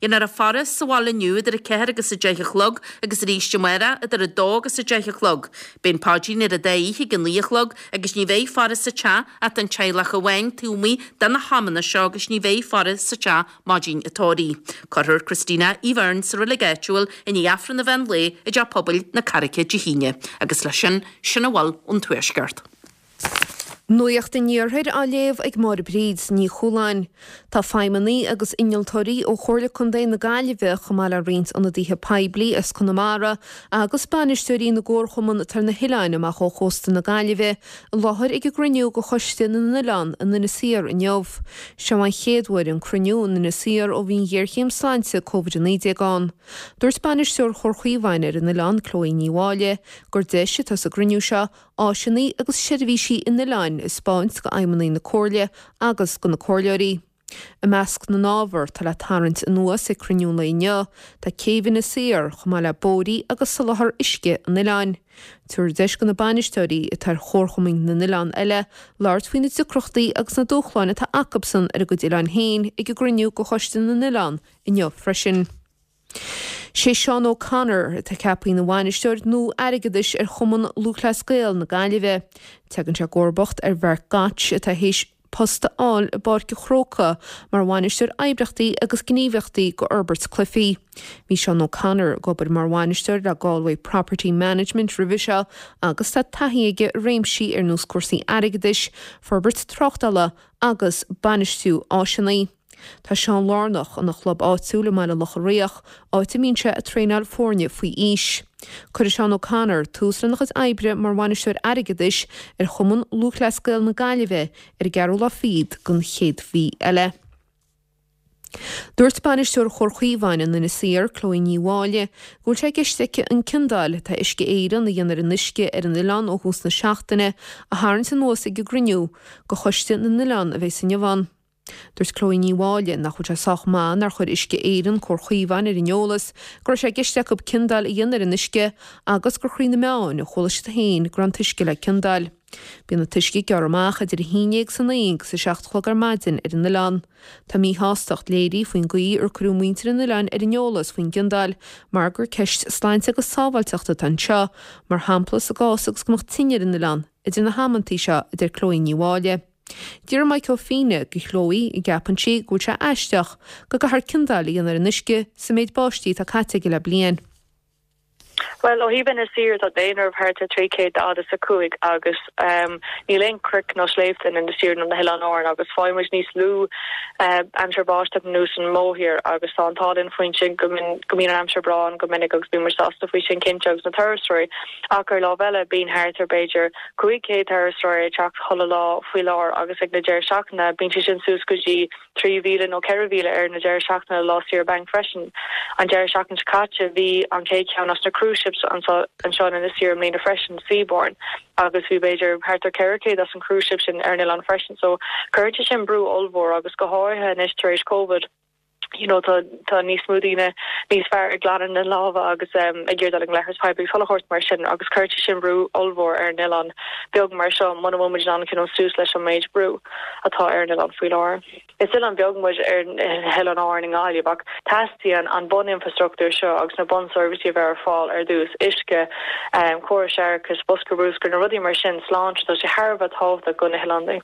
Déanfar a faire sa bhaile inniu idir a ceathair agus a deich a chlog agus arís amárach idir a dó agus a deich a chlog. Beidh an paidrín ar an dá oíche ag a naoi a chlog agus ní bheidh faire sa teach ach don teaghlach amháin taobh amuigh de na hamanna seo agus ní bheidh faire sa teach maidin an tórraimh. Cuirfear Christina Uí Bheirn sa reilig áitiúil i ndiaidh Aifreann an mheán lae i dTeach Pobail na Carraice Dé hAoine. Agus leis sin, sin a bhfuil ón Tuaisceart. Nuacht an Iarthair á léamh ag Máire Bríd Ní Chualáin. Tá feidhmeannaigh agus innealtóirí ó Chomhairle Contae na Gaillimhe chomh maith le roinnt ionadaithe poiblí as Conamara agus bainisteoirí na gcomharchumann atá ar na hoileáin amach ó chósta na Gaillimhe i láthair ag an gcruinniú de Choiste na nOileán in Inis Oírr inniu. Seo an chéad uair an cruinniú in Inis Oírr ó bhí an ghéarchéim sláinte Covid a naoi déag ann. Dúirt bainisteoir Chomhar Chaomháin ar an oileán, Chloe Ní Mháille, gur deis atá sa gcruinniú seo áiseanna agus seirbhísí an oileáin a 'spáint go fheidhmeannaigh na Comhairle agus go na comhairleoirí. I measc na n-ábhar atá le tarraingt anuas ag cruinniú an lae inniu, tá céibh Inis Oírr, chomh maith le bóithrí agus soláthar uisce an oileáin. Tabharfar deis go na bainisteoirí atá ar chomharchumainn na n-oileán eile labhairt faoi na deacrachtaí agus na dúshláin atá acubsan ar a gcuid oileáin féin ag an gcruinniú go Choiste na nOileán inniu freisin. Sé Seán O'Connor atá ceaptha ina bhainisteoir nua airgeadais ar Chumann Lúthchleas Gael na Gaillimhe. Tagann sé i gcomharbacht ar Mharc Gotch atá théis post a fháil i bPáirc an Chrócaigh mar bhainisteoir oibríochtaí agus gníomhaíochtaí go fhorbairt cluichí. Bhí Seán O'Connor ag obair mar bhainisteoir le Galway Property Management roimhe seo agus tá taithí aige i réimsí ar nós cúrsaí airgeadais, forbairt tráchtála agus bainistiú áiseanna. Tá Seán lárnach ina chlub áitiúil i mBaile Locha Riach, áit a mbíonn sé ag traenáil foirne faoi aois. Cuirfidh Seán O'Connor tús lena chuid oibre mar bhainisteoir airgeadais ar Chumann Lúthchleas Gael na Gaillimhe ar an gceathrú lá fichead den chéad mhí eile. Dúirt bainisteoir Chomhar Chaomháin in Inis Oírr, Chloe Ní Mháille, go bhfuil sé i gceist aici an ciondáil atá Uisce Éireann a dhéanamh ar an uisce ar an oileán ó thús na seachtaine a tharraingt anuas ag an gcruinniú de Choiste na nOileán a bheas inniu ann. Dúirt Chloe Ní Mháille nach bhfuil sé sách maith nár chuir Uisce Éireann Comhar Chaomháin ar an eolas go raibh sé i gceist acu ciondáil a dhéanamh ar an uisce agus gur thrí na meáin a chuala siad féin go raibh an t-uisce le ciondáil. Bíonn an t-uisce ag gearradh amach idir a haon déag san oíche agus a seacht a chlog ar maidin ar an oileán. Tá míshástacht léirithe faoin gcaoi ar cuireadh muintir an oileáin ar an eolas faoin gciondáil mar gur ceist sláinte agus sábháilteachta atá anseo, mar shampla sa gcás agus go mbeadh tine ar an oileán idir na hamantaí seo, a deir Chloe Ní Mháille. D'fhiafraigh Maidhc Ó Fianna de Chloe an gceapann sí go bhfuil sé aisteach go gcaithfear ciondáil a dhéanamh ar an uisce sa méid báistí atá caite aige le bliain. Bhuel, ó thaobh Inis Oírr, tá daonra thart ar trí chéad daichead is a cúig agus níl aon chnoic nó sléibhte in Inis Oírr nó na hOileáin Árann agus faigheann muid níos lú aimsir báisteach ná an mórthír agus tá an t-ádh linn faoin sin go mbíonn an aimsir breá ann go minic agus bíonn muid sásta faoi sin cinnte agus na turasóirí ach ar lámh eile bíonn thart ar b'fhéidir cúig chéad turasóir ag teacht chuile lá faoi láthair agus ag na deireadh seachtaine bíonn sé sin suas go dtí trí mhíle nó ceithre mhíle ar na deireadh seachtaine lá saoire bainc freisin. An deireadh seachtaine seo caite bhí an chéad cheann as na cruise ships anseo anseo in Inis Oírr i mbliana freisin, Seabourn, agus bhí b'fhéidir thart ar ceithre chéad as an cruise ship sin ar an oileán freisin so cuireann sé sin brú ollmhór agus go háirithe anois tar éis Covid. you know tá tá níos mó daoine níos fearr ag glanadh na lámha agus um, ag iarraidh dul i leithreas poiblí chuile shórt mar sin agus cuirfidh sin brú ollmhór ar an oileán beag mar seo muna bhfuil muid in ann cineál suas leis an méid brú atá ar an oileán faoi láthair. Is oileán beag muid ar Oileáin Árann i nGaillimh ach teastaíonn an buninfrastruchtúr seo agus na bunseirbhísí a bheith ar fáil ar dtús uisce um, córas séarachais bosca bruscair na rudaí mar sin sláinte tá sé thar a bheith tábhachtach do na hoileáin.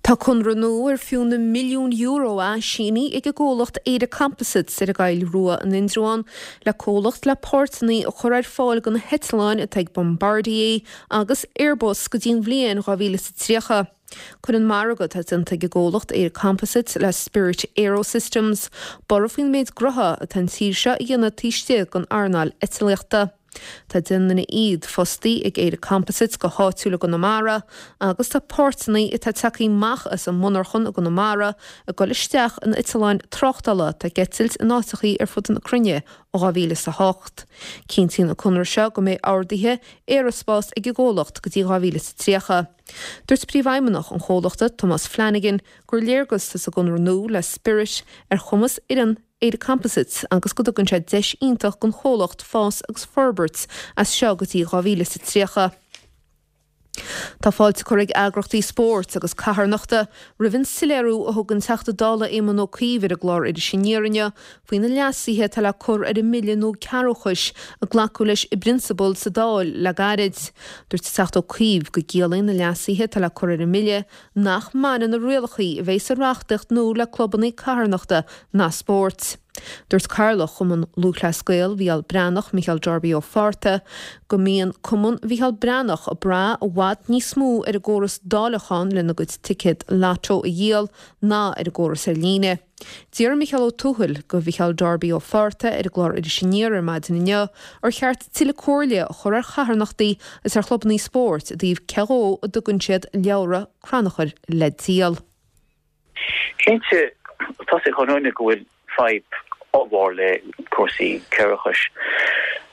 Tá conradh nua ar fiú na milliún euro é sínithe ag an gcomhlacht Éire Composites ar an gCoill Rua in Indreabhán le comhlacht le páirteanna a chur ar fáil do na heitleáin atá ag Bombardier agus Airbus go dtí an bhliain dhá mhíle is a tríocha. Cuireann margadh atá déanta ag an gcomhlacht Éire Composites le Spirit AeroSystems borradh faoin méid gnótha atá an tír seo a dhéanamh taobh istigh den earnáil eitlíochta. Tá deich nduine fhichead fostaí ag Éire Composites go háitiúil i gConamara agus tá páirteanna atá tagtha amach as an monarchan i gConamara ag dul isteach in eitleáin tráchtála atá ag eitilt in áiteachaí ar fud na cruinne ó dhá mhíle is a hocht. Cinntíonn an conradh seo go mbeidh orduithe aeraspáis ag an gcomhlacht go dtí dhá mhíle is a tríocha. Dúirt Príomhfheidhmeannach an chomhlachta, Tomás Flanagan, gur léargas atá sa gconradh nua le Spirit ar chumas fhoireann Éire Composites agus go dtugann sé deis iontach don chomhlacht fás agus forbairt as seo go dtí dhá mhíle is a tríocha. Tá fáilte curtha ag eagrachtaí spóirt agus carthanachta roimh an soiléiriú a thug an Teachta Dála Éamon Ó Cuív ar an gclár Iris Aniar inniu faoi na leasuithe atá le cur ar an mBille nua Cearrbhachais a glacadh leis i bprionsabal sa Dáil le gairid. Dúirt an Teachta Ó Cuív go gciallaíonn na leasuithe atá le cur ar an mBille nach mbaineann na rialacha a bheidh sa reachtaíocht nua le clubanna carthanachta ná spóirt. Dúirt Cathaoirleach Chumann Lúthchleas Gael Mhícheál Breathnach, Micheál Darby Ó Fátharta, go mbíonn Cumann Mhícheál Breathnach ag brath i bhfad níos mó ar an gcóras dáileacháin lena gcuid ticéad Lotto a dhíol ná ar an gcóras ar líne. D'iarr Micheál Ó Tuathail de Mhicheál Darby Ó Fátharta ar an gclár Iris Aniar ar maidin inniu ar cheart tuilleadh comhairle a chur ar charthanachtaí agus ar chlubanna spóirt i dtaobh cé dhó a dtugann siad leabhra crannchuir le díol. Cinnte, tá sé chun go bhfuil fadhb ollmhór le cúrsaí cearrbhachais.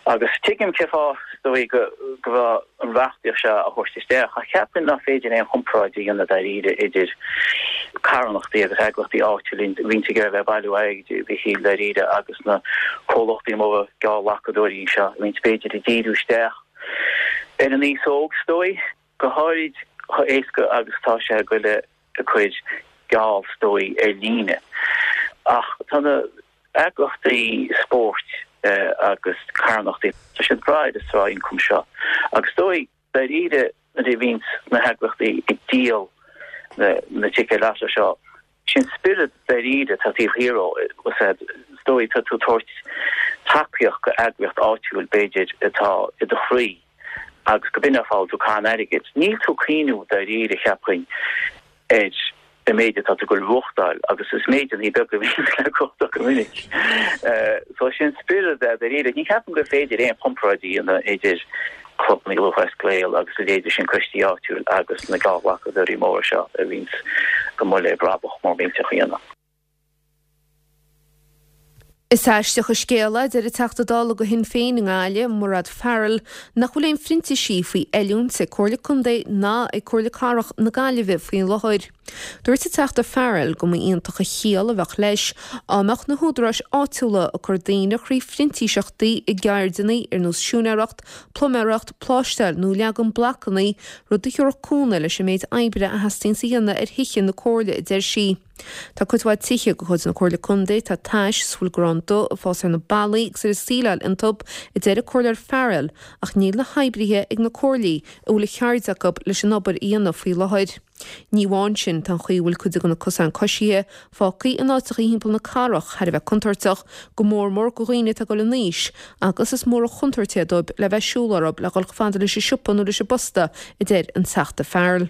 Agus tuigim cén fáth is dóigh go go raibh an reachtaíocht seo á thabhairt isteach, ach ceapaim nach féidir aon chomparáid a dhéanamh dáiríre idir carthanachtaí agus eagraíochtaí áitiúla a bhíonns ag iarraidh a bheith ag bailiú airgid a Mhichíl dáiríre agus na comhlachtaí móra geallghlacadóirí seo a bhíonns b'fhéidir ag díriú isteach ar an aos óg is dóigh, go háirid chomh éasca agus atá sé a ghoil ag cur geall is dóigh ar líne. Ach tá na eagraíochtaí spóirt agus carthanachtaí, tá siad ag brath ar an sraith ioncaim seo. Agus is dóigh, dáiríre, nuair a bhíonns na heagraíochtaí ag díol na ticéid lotto seo, sin spiorad dáiríre atá taobh thiar dhó, is dóigh, tá tú ag tabhairt tacaíocht go eagraíocht áitiúil b'fhéidir atá i do chroí agus go b'in an fáth a bhfuil tú ag caitheamh airgid. Níl tú ag cuimhniú dáiríre, cheapfainn, ar an méid atá tú ag goil a bhuachtáil agus is méideanna beaga a bhíonn le buachtáil go minic. So sin spiorad é dáiríre. Ní cheapaim gur féidir aon chomparáid a dhéanamh idir clubanna Lúthchleas Gael agus a leithéidí sin coistí áitiúil agus na geallghlacadóirí móra seo a bhíonns go maith le brabach mór millteach a dhéanamh. Is aisteach an scéal é, a deir an Teachta Dála do Shinn Féin i nGaillimh, Mairéad Farrell, nach bhfuil aon phrintísigh faoi oiliúint ag Comhairle Contae ná ag Comhairle Cathrach na Gaillimhe faoi láthair. Dúirt an Teachta Farrell go mba iontach an chiall a bheadh leis dá mbeadh na húdaráis áitiúla ag cur daoine thrí phrintíseachtaí i gceirdeanna ar nós siúinéireacht, pluiméireacht, pláisteáil nó leagan blocanna, rud a thabharfadh cúnamh leis an méid oibre a theastaíonns a dhéanamh ar thithe na Comhairle, a deir sí. Tá cuid mhaith tithe de chuid na Comhairle Contae atá tais is a bhfuil grán dubh ag fás ar na ballaí agus ar an tsíleáil iontu, a deir an Comhairleoir Farrell, ach níl na hoibrithe ag na Comhairlí a bhfuil an cheird acu leis an obair a dhéanamh faoi láthair. Ní amháin sin, tá an chaoi a bhfuil cuid de na cosáin coisithe fágtha in áiteacha thimpeall na cathrach thar a bheith contúirteach, go mór mór do dhaoine atá ag dul in aois, agus is mór an chontúirt é dóibh le bheith ag siúl orthu le dhul chomh fada leis an siopa nó leis an bposta, a deir an Teachta Farrell.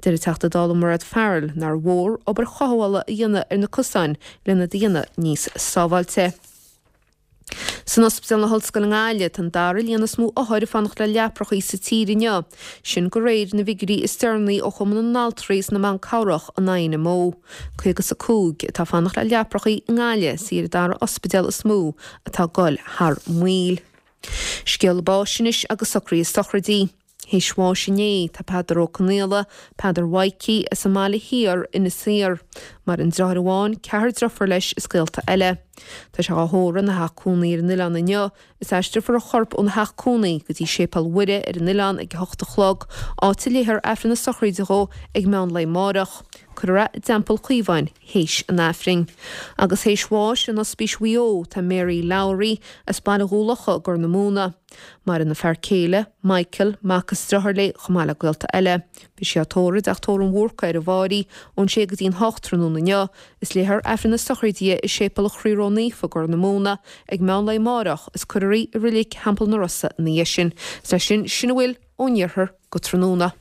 Deir an Teachta Dála Mairéad Farrell nár mhór obair chothabhála a dhéanamh ar na cosáin lena dhéanamh níos sábháilte. San Ospidéal na hOllscoile i nGaillimh tá an dara líon is mó othar ag fanacht le leaprachaí sa tír inniu, sin de réir na bhfigiúirí is deireanaí ó Chumann na nAltraí is na mBan Cabhrach, an INMO. caoga is a cúig atá ag fanacht le leaprachaí i nGaillimh is í ar an dara ospidéal is mó atá ag goil thar maoil. Scéala báis anois agus socruithe sochraidí. Théis bháis inné tá Peadar Ó Conaola, Peadar Mhaidhcí, as an mBaile Thiar, Inis Oírr. Maireann deartháir amháin, ceathrar deirfiúr leis is gaolta eile. Tá sé á thórramh ina theach cónaí ar an oileán inniu is aistreofar a chorp óna theach cónaí go dtí Séipéal Mhuire ar an oileán ag a hocht a chlog, áit a léifear Aifreann na sochraide dhó ag meán lae amárach. Cuirfear é i dTeampall Chaomháin théis an Aifrinn. Agus théis bháis in Ospís Mhaigh Eo tá Mary Lowry as Baile Dhúlocha i gCorr na Móna. Maireann a fear céile, Michael, mac is deartháir léi chomh maith le gaolta eile. Beidh sí á tórramh i dTeach Tórraimh an Bhúrcaigh ar an bhFáirí ón sé go dtí'n hocht tráthnóna inniu is léifear Aifreann na sochraide di i Séipéal an Chroí Ró-Naofa i gCorr na Móna ag meán lae amárach is cuirfear í i Reilig Theampall na Rosa ina dhiaidh sin. Is leis sin, sin a bhfuil ón iarthar go tráthnóna.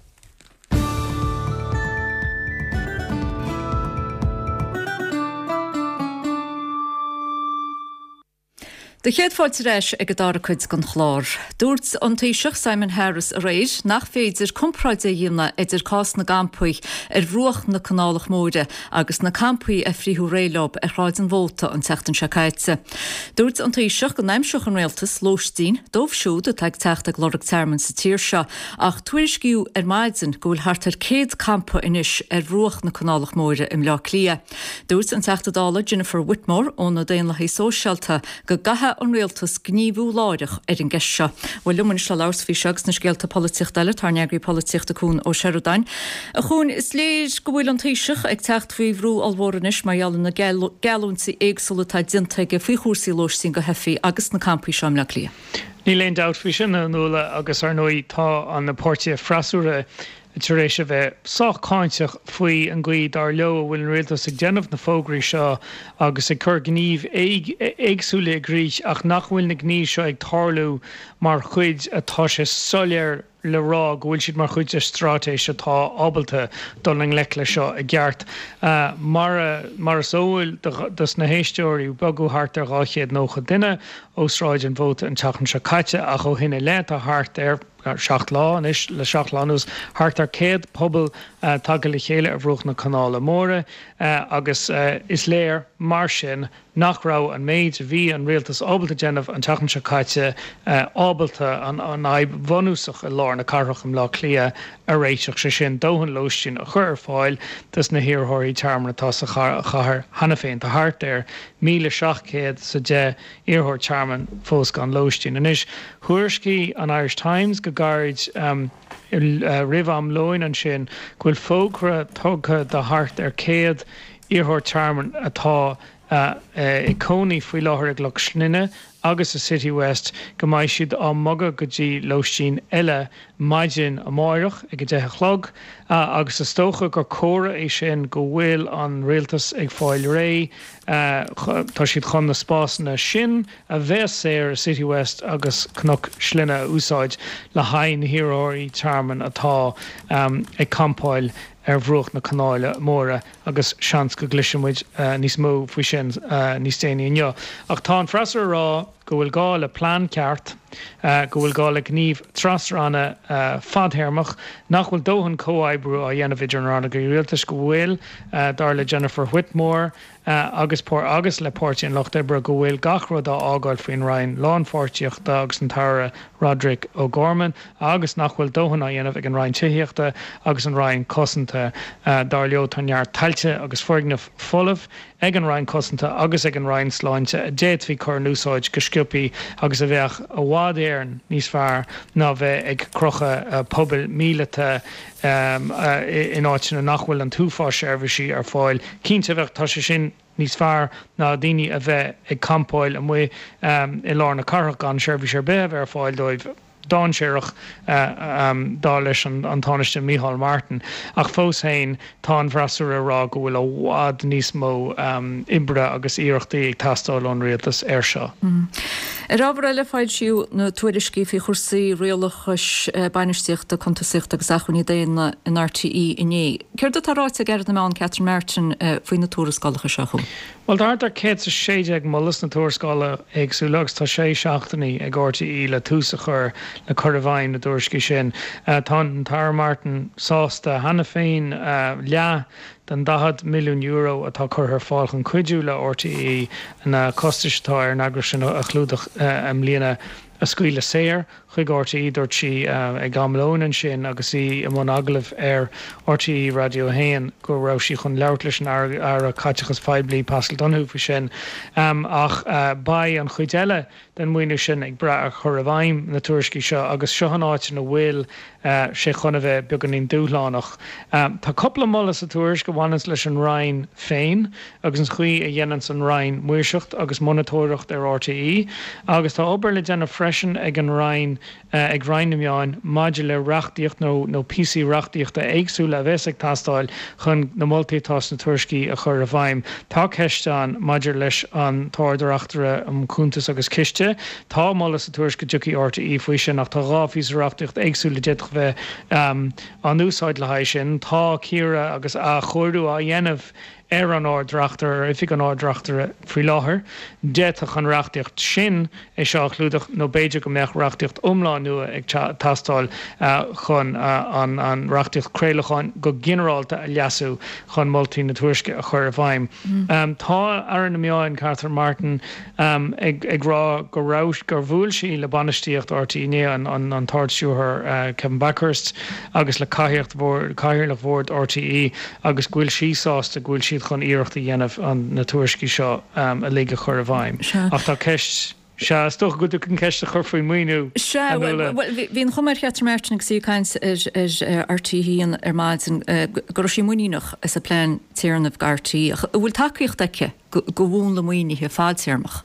Do chéad fáilte ar ais ag an dara cuid den chlár. Dúirt an Taoiseach Simon Harris aréir nach féidir comparáid a dhéanamh idir cás na gcampaí ar bhruach na Canálach Móire agus na campaí a frítheadh réidh leo ar Shráid an Mhóta an tseachtain seo caite. Dúirt an Taoiseach go n-aimseodh an rialtas lóistín dóibh siúd atá ag teacht ag lorg tearmainn sa tír seo ach tuairiscíodh ar maidin go bhfuil thart ar céad campa anois ar bhruach na Canálach Móire i mBleá Cliath. Dúirt an Teachta Dála Jennifer Whitmore ó na Daonlathaigh Sóisialta go gcaithfidh an rialtas gníomhú láithreach ar an gceist seo. Bhuel liom anois le labhairt faoi seo agus na scéalta polaitíochta eile tá ár n-eagraí polaitíochta Cuan Ó Seireadáin. A Chuain, is léir go bhfuil an Taoiseach ag teacht faoi bhrú ollmhór anois mar gheall ar na geallúintí éagsúla atá déanta aige faoi chúrsaí lóistín do theifigh agus na campaí seo i mBleá Cliath. Níl aon dabht faoi sin, a Fhionnuala, agus ar ndóigh tá na páirtithe freasúra tar éis a bheith sách cáinteach faoi an gcaoi dar leo a bhfuil an rialtas ag déanamh na fógraí seo agus ag cur gníomh éagsúla i gcrích ach nach bhfuil na gnímh seo ag tarlú mar chuid atá sé soiléir le rá go bhfuil siad mar chuid de straitéis atá ábalta dul i ngleic leis seo i gceart. Mar mar is eol dos na héisteoirí bogadh thart ar dhá chéad nócha duine ó Sráid an Mhóta an tseachtain seo caite ach ó shin i leith tá thart ar seacht lá anois, le seacht lá anuas, thart ar céad puball tagtha le chéile ar bhruach na Canála Móire agus is léir mar sin nach raibh an méid a bhí an rialtas ábalta déanamh an tseachtain seo caite ábalta an fhadhb bhunúsach i lár na cathrach i mBleá Cliath a réiteach, sé sin dóthain lóistín a chur ar fáil dos na hiarrthóirí tearmainn atá sa chathair cheana féin. Tá thart ar míle seacht gcéad is a deich iarrthóir tearmainn fós gan lóistín. Anois, thuairiscigh an Irish Times go gairid roimh am lóin ansin go bhfuil fógra tugtha do thart ar céad iarrthóir tearmainn atá ag cónaí faoi láthair i gCnoc Slinne agus i Citywest go mbeidh siad á mbogadh go dtí lóistín eile maidin amáireach ag a deich a chlog agus is dócha gur comhartha é sin go bhfuil an rialtas ag fáil réidh, tá siad chun na spásanna sin a bheas saor i Citywest agus Cnoc Slinne a úsáid le haghaidh na hiarrthóirí tearmainn atá ag campáil ar bhruach na Canála Móire agus seans go gcloisfidh muid níos mó faoi sin níos déanaí inniu. Ach tá an freasúra ag rá go bhfuil gá le plean ceart, go bhfuil gá le gníomh tras-ranna fadthéarmach, nach bhfuil dóthain comhoibriú á dhéanamh idir na rannóga rialtais, go bhfuil, dar le Jennifer Whitmore agus agus le Páirtí an Lucht Oibre, go bhfuil gach rud á fhágáil faoin Roinn Lánpháirtíochta agus an tAire Roderic O'Gorman agus nach bhfuil dóthain á dhéanamh ag an Roinn Tithíochta agus an Roinn Cosanta. Dar leo, tá neart tailte agus foirgneamh folamh ag an Roinn Cosanta agus ag an Roinn Sláinte a d'fhéadfaí cur in úsáid go sciobthaí agus a bheadh i bhfad Éireann níos fearr ná bheith ag crochadh pubaill míleata in áiteanna nach bhfuil an t-uafás seirbhísí ar fáil. Cinnte, bheadh, tá sé sin níos fearr ná daoine a bheith ag campáil amuigh i lár na cathrach gan seirbhís ar bith a bheith ar fáil dóibh. Dainséarach, dar leis an Tánaiste Micheál Martin. Ach fós féin, tá an freasúra ag rá go bhfuil i bhfad níos mó oibre agus iarrachtaí ag teastáil ón rialtas air seo. Ar ábhar eile, foilsíodh na tuairiscí faoi chúrsaí rialachais, bainistíochta, cuntasaíochta agus acmhainní daonna in R T E inné. Céard atá ráite ag Aire na Meán Catherine Martin faoi na tuarascálacha seo, a Chuain? Bhuel, tá thart ar céad is a sé déag moladh sna tuarascála éagsúla agus tá sé seachtainí ag R T E le tús a chur le cur i bhfeidhm na dtuairiscí sin. Tá an tAire Martin sásta cheana féin leath den daichead milliún euro atá curtha ar fáil chun cuidiú le R T E na costais atá ar an eagras sin a chlúdach i mbliana a scaoileadh saor chuig RTÉ, dúirt sí ag am lóin ansin agus í i mbun agallaimh ar RTÉ Raidió a haon go raibh sí chun labhairt leis an Aire Caiteachais Phoiblí Paschal Donohoe faoi sin. Ach beidh an chuid eile den mhaoiniú sin ag brath ar chur i bhfeidhm na tuairiscí seo agus seo an áit ina bhfuil sé chun a bheith beagáinín dúshlánach. Tá cúpla moladh sa tuairisc a bhaineanns leis an Roinn féin agus an chaoi a dhéananns an Roinn maoirseacht agus monatóireacht ar RTÉ agus tá obair le déanamh freisin ag an Roinn ag Roinn na Meán maidir le reachtaíocht nó nó píosaí reachtaíochta éagsúla a bheas ag teastáil chun na moltaí atá sna tuairiscí a chur i bhfeidhm. Tá ceist ann maidir leis an tArd-Reachtaire um Chuntas agus Ciste. Tá moladh sa tuairisc go dtiocfaidh RTÉ faoi sin ach tá dhá phíosa reachtaíochta éagsúla a d'fhéadfadh bheith á n-úsáid le haghaidh sin. Tá cíoradh agus athchóiriú á dhéanamh ar an Ard-Reachtaire, ar Oifig an Ard-Reachtaire faoi láthair. D'fhéadfadh an reachtaíocht sin é seo a chlúdach nó b'fhéidir go mbeadh reachtaíocht iomlán nua ag teastáil chun an reachtaíocht craolacháin go ginearálta a leasú chun moltaí na tuairisce a chur i bhfeidhm. Tá Aire na Meán, Catherine Martin, ag rá go raibh, gur bhuail sí le bainistíocht RTÉ inné, an tArd-Stiúrthóir Kevin Bakhurst agus le Cathaoirleach Bhord RTÉ agus go bhfuil sí sásta go bhfuil siad chun iarracht a dhéanamh na tuairiscí seo uilig a chur i bhfeidhm. Ach tá ceist, sea, is dócha go bhfuil tú chun ceist a chur faoin maoiniú, Sea, a Nuala. bhuel, bhí an chuma ar Chatherine Martin agus í ag caint ar RTÉ a haon ar maidin go raibh sí muiníneach as a plean téarnaimh do RTÉ. Ach an bhfuil tacaíocht aici do mhúnla maoinithe fadtéarmach?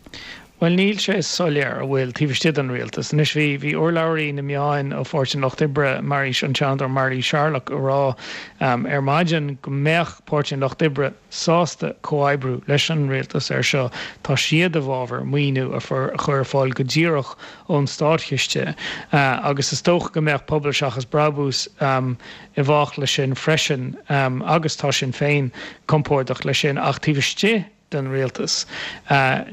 Bhuel, níl sé soiléir an bhfuil taobh istigh den rialtas. Anois, bhí, bhí urlabhraí na meáin ó Pháirtí an Lucht Oibre, Mary, an Seanadóir Mary Sherlock, ag rá ar maidin go mbeadh Páirtí an Lucht Oibre sásta comhoibriú leis an rialtas air seo. Tá siad i bhfabhar maoiniú a chur ar fáil go díreach ón státchiste agus is dócha go mbeadh Pobal Seachas Brabús i bhfách leis sin freisin agus tá Sinn Féin compordach leis sin ach taobh istigh den rialtas.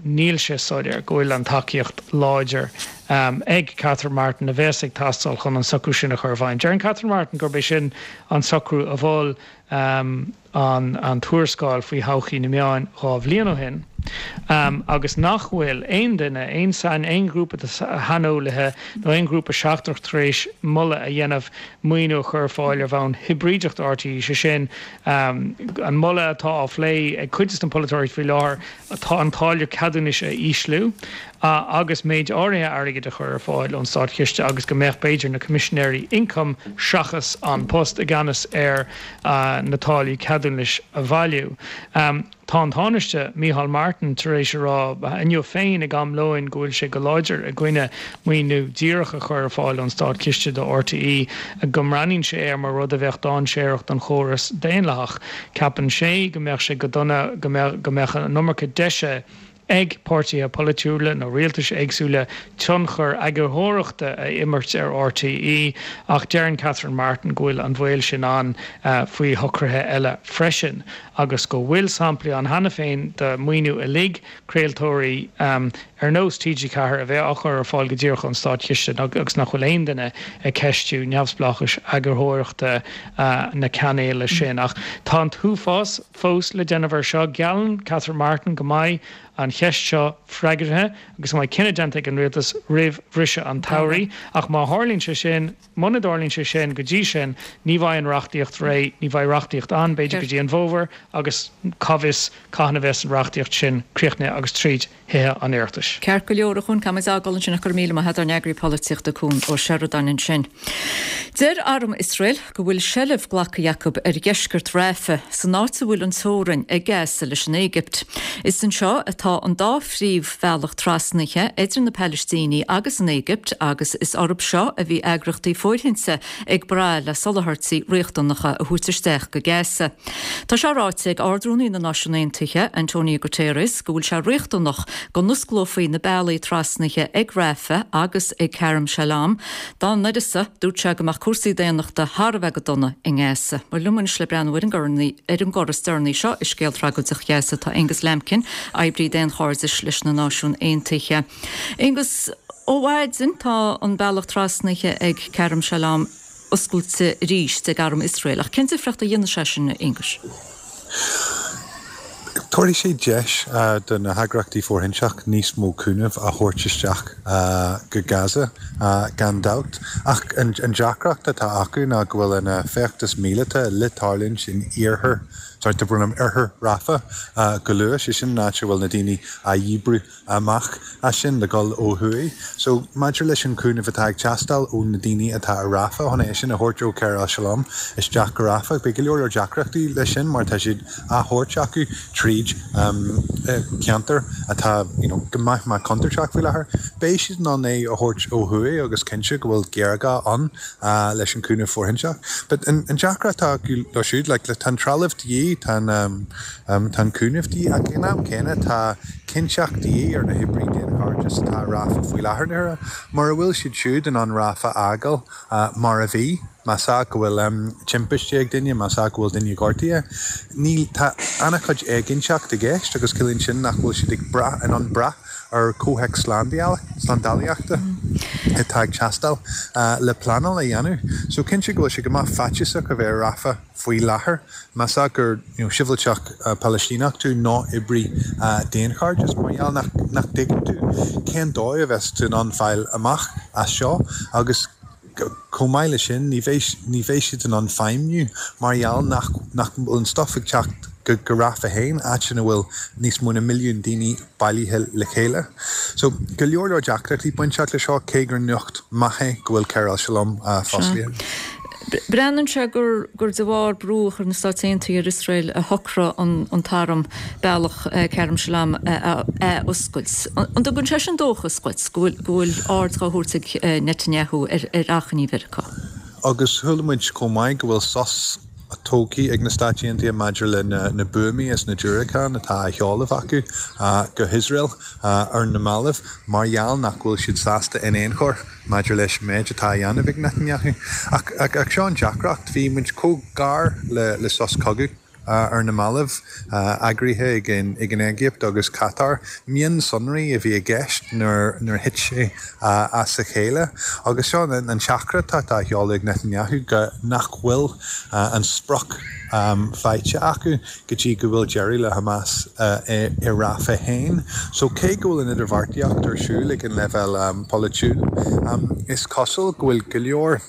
Níl sé soiléir go bhfuil an tacaíocht láidir ag Catherine Martin a bheas ag teastáil chun an socrú sin a chur i bhfeidhm. Deireann Catherine Martin gurb é sin an socrú a mhol an tuarascáil faoi thodhchaí na meáin dhá bhliain ó shin agus nach bhfuil aon duine, aon sain, aon ghrúpa de shaineolaithe nó aon ghrúpa seachtrach tar éis moladh a dhéanamh maoiniú a chur ar fáil ar bhonn hibrídeach do RTÉ, sé sin, An moladh atá á phlé ag cuid de na polaiteoirí faoi láthair tá an táille ceadúnais a ísliú agus méid áirithe airgid a chur ar fáil ón státchiste agus go mbeadh b'fhéidir na Coimisinéirí Ioncaim seachas An Post i gceannas ar na táillí ceadúnais a bhailiú. Tá an Tánaiste, Micheál Martin, tar éis a rá inniu féin ag am lóin go bhfuil sé go láidir i gcoinne maoiniú díreach a chur ar fáil ón státchiste do RTÉ, go mbreathnaíonn sé air mar rud a bheadh dainséarach don chóras daonlathach. Ceapann sé go mbeadh sé go dona go mbeadh an iomarca deise ag páirtithe polaitiúla nó rialtais éagsúla tionchar eagarthóireachta a imirt ar RTÉ ach deireann Catherine Martin go bhfuil an baol sin ann faoi shocruithe eile freisin agus go bhfuil samplaí ann cheana féin de mhaoiniú uilig craoltóirí ar nós TG Ceathair a bheith á chur ar fáil go díreach ón státchiste agus nach bhfuil aon duine ag ceistiú neamhspleáchais eagarthóireachta na cainéil sin. Ach tá an t-uafás fós le déanamh air seo. Geallann Catherine Martin go mbeidh an cheist seo freagartha agus go mbeidh cinneadh déanta ag an rialtas roimh bhriseadh an tsamhraidh. Ach má tharlaíonn sé sin, muna dtarlaíonn sé sin go dtí sin, ní bheidh an reachtaíocht réidh, ní bheidh reachtaíocht ann, b'fhéidir, go dtí an bhfómhar agus cá bhfios cathain a bheas an reachtaíocht sin críochnaithe agus tríd Thithe an Oireachtais. Ceart go leor, a Chuan, caithfidh muid é a fhágáil ansin ach go raibh míle maith agat, ár n-eagraí polaitíochta Cuan Ó Seireadáin ansin. Deir arm Iosrael go bhfuil seilbh glactha acu ar dheisceart Rafah, san áit a bhfuil an teorainn ag Gaza leis an Éigipt. Is anseo atá an dá phríomhbhealach trasnaithe idir na Palaistínigh agus an Éigipt agus is orthu seo a bhí eagraíochtaí fóirithinte ag brath le soláthairtí riachtanacha a thabhairt isteach go Gaza. Tá sé ráite ag Ard-Rúnaí na Náisiún Aontaithe, Antonio Guterres, go bhfuil sé riachtanach go n-osclófaí na bealaí trasnaithe ag Rafah agus ag Kerem Shalom. Dá n-uireasa, dúirt sé go mbeadh cúrsaí daonnachta thar a bheith go dona i nGaza. Bhuel liom anois le breathnú ar an ar an gcor is deireanaí seo i scéal tragóideach Ghaza tá Aonghus Lambkin, oibrí daonchairdis leis na Náisiúin Aontaithe. Aonghus, ó mhaidin tá an bealach trasnaithe ag Kerem Shalom oscailte arís ag arm Iosrael, ach cén difríocht a dhéanfaidh sé sin, a Aonghuis? Tabharfaidh sé deis do na heagraíochtaí fóirithinte níos mó cúnaimh a thabhairt isteach go Gaza, gan dabht. Ach an deacracht atá acu ná go bhfuil an feachtas míleata le tarlúint in iarthar, sorry, tá brón orm, oirthear Rafah go luath, sé sin an áit a bhfuil na daoine á dhíbriú amach as sin le dhul ó thuaidh. So maidir leis an cúnamh atá ag teastáil ó na daoine atá i Rafah chun é sin a thabhairt ó Kerem Shalom isteach go Rafah, beidh go leor leor deacrachtaí leis sin mar tá siad á thabhairt acu tríd ceantar atá you know go maith maith contúirteach faoi láthair. Beidh siad in ann é a thabhairt ó thuaidh agus cinnte go bhfuil géarghá ann leis an cúnamh fóirithinte. But an deacracht atá acu leo siúd, like tá an trealamh de dhíth, tá an tá an cúnamh de dhíth ach ag an am céanna tá cinnteacht de dhíth ar na hoibrithe daonchairdis atá i Rafah faoi láthair. Mura bhfuil siad siúd in ann Rafah a fhágáil mar a bhí, más ea go bhfuil timpiste ag duine, más ea go bhfuil duine gortaithe, níl, tá an-chuid éiginnteacht i gceist agus ciallaíonn sin nach bhfuil siad ag brath, in ann brath ar chomhthéacs slándálaíochta atá ag teastáil le pleanáil a dhéanamh. So cinnte go bhfuil sé go maith faitíosach a bheith i Rafah faoi láthair, más ea gur you know sibhialtach Palaistíneach tú nó oibrí daonchairdis, mar gheall nach nach dtuigeann tú cén dóigh a bheas tú in ann fáil amach as seo agus chomh maith leis sin ní bheidh ní bheidh siad in ann feidhmiú mar gheall nach nach bhfuil an stuif ag teacht go go Rafah féin, áit ina bhfuil níos mó na milliún daoine bailithe le chéile. So go leor leor deacrachtaí bainteach le seo cé gur nuacht maith é go bhfuil Kerem Shalom fosclaithe. Breathnaíonn sé gur gur de bharr brú a chuir na Stáit Aontaithe ar Iosrael a shocraigh an an t-arm bealach Kerem Shalom a oscailt. An dtugann sé sin dóchas dhuit go bhfuil go bhfuil aird á thabhairt ag Netanyahu ar ar achainí Mheiriceá? Agus chuala muid chomh maith go bhfuil sos tógtha ag na Stáit Aontaithe maidir le na buamaí is na diúracáin atá á sheoladh acu go hIosrael ar na mallaibh mar gheall nach bhfuil siad sásta in aon chor maidir leis an méid atá á dhéanamh ag Netanyahu. Ach ach seo an deacracht, bhí muid chomh gar le le sos cogaidh ar na mallaibh, eagraithe ag an ag an Éigipt agus Catar. Mionsonraí a bhí i gceist nuair nuair thit sé as a chéile. Agus seo an an teachtaireacht atá á sheoladh ag Netanyahu go nach bhfuil an sprioc faighte acu go dtí go bhfuil deireadh le Hamas i Rafah féin. So cé go bhfuil an idirbheartaíocht ar siúl ag an leibhéal polaitiúil, is cosúil go bhfuil go leor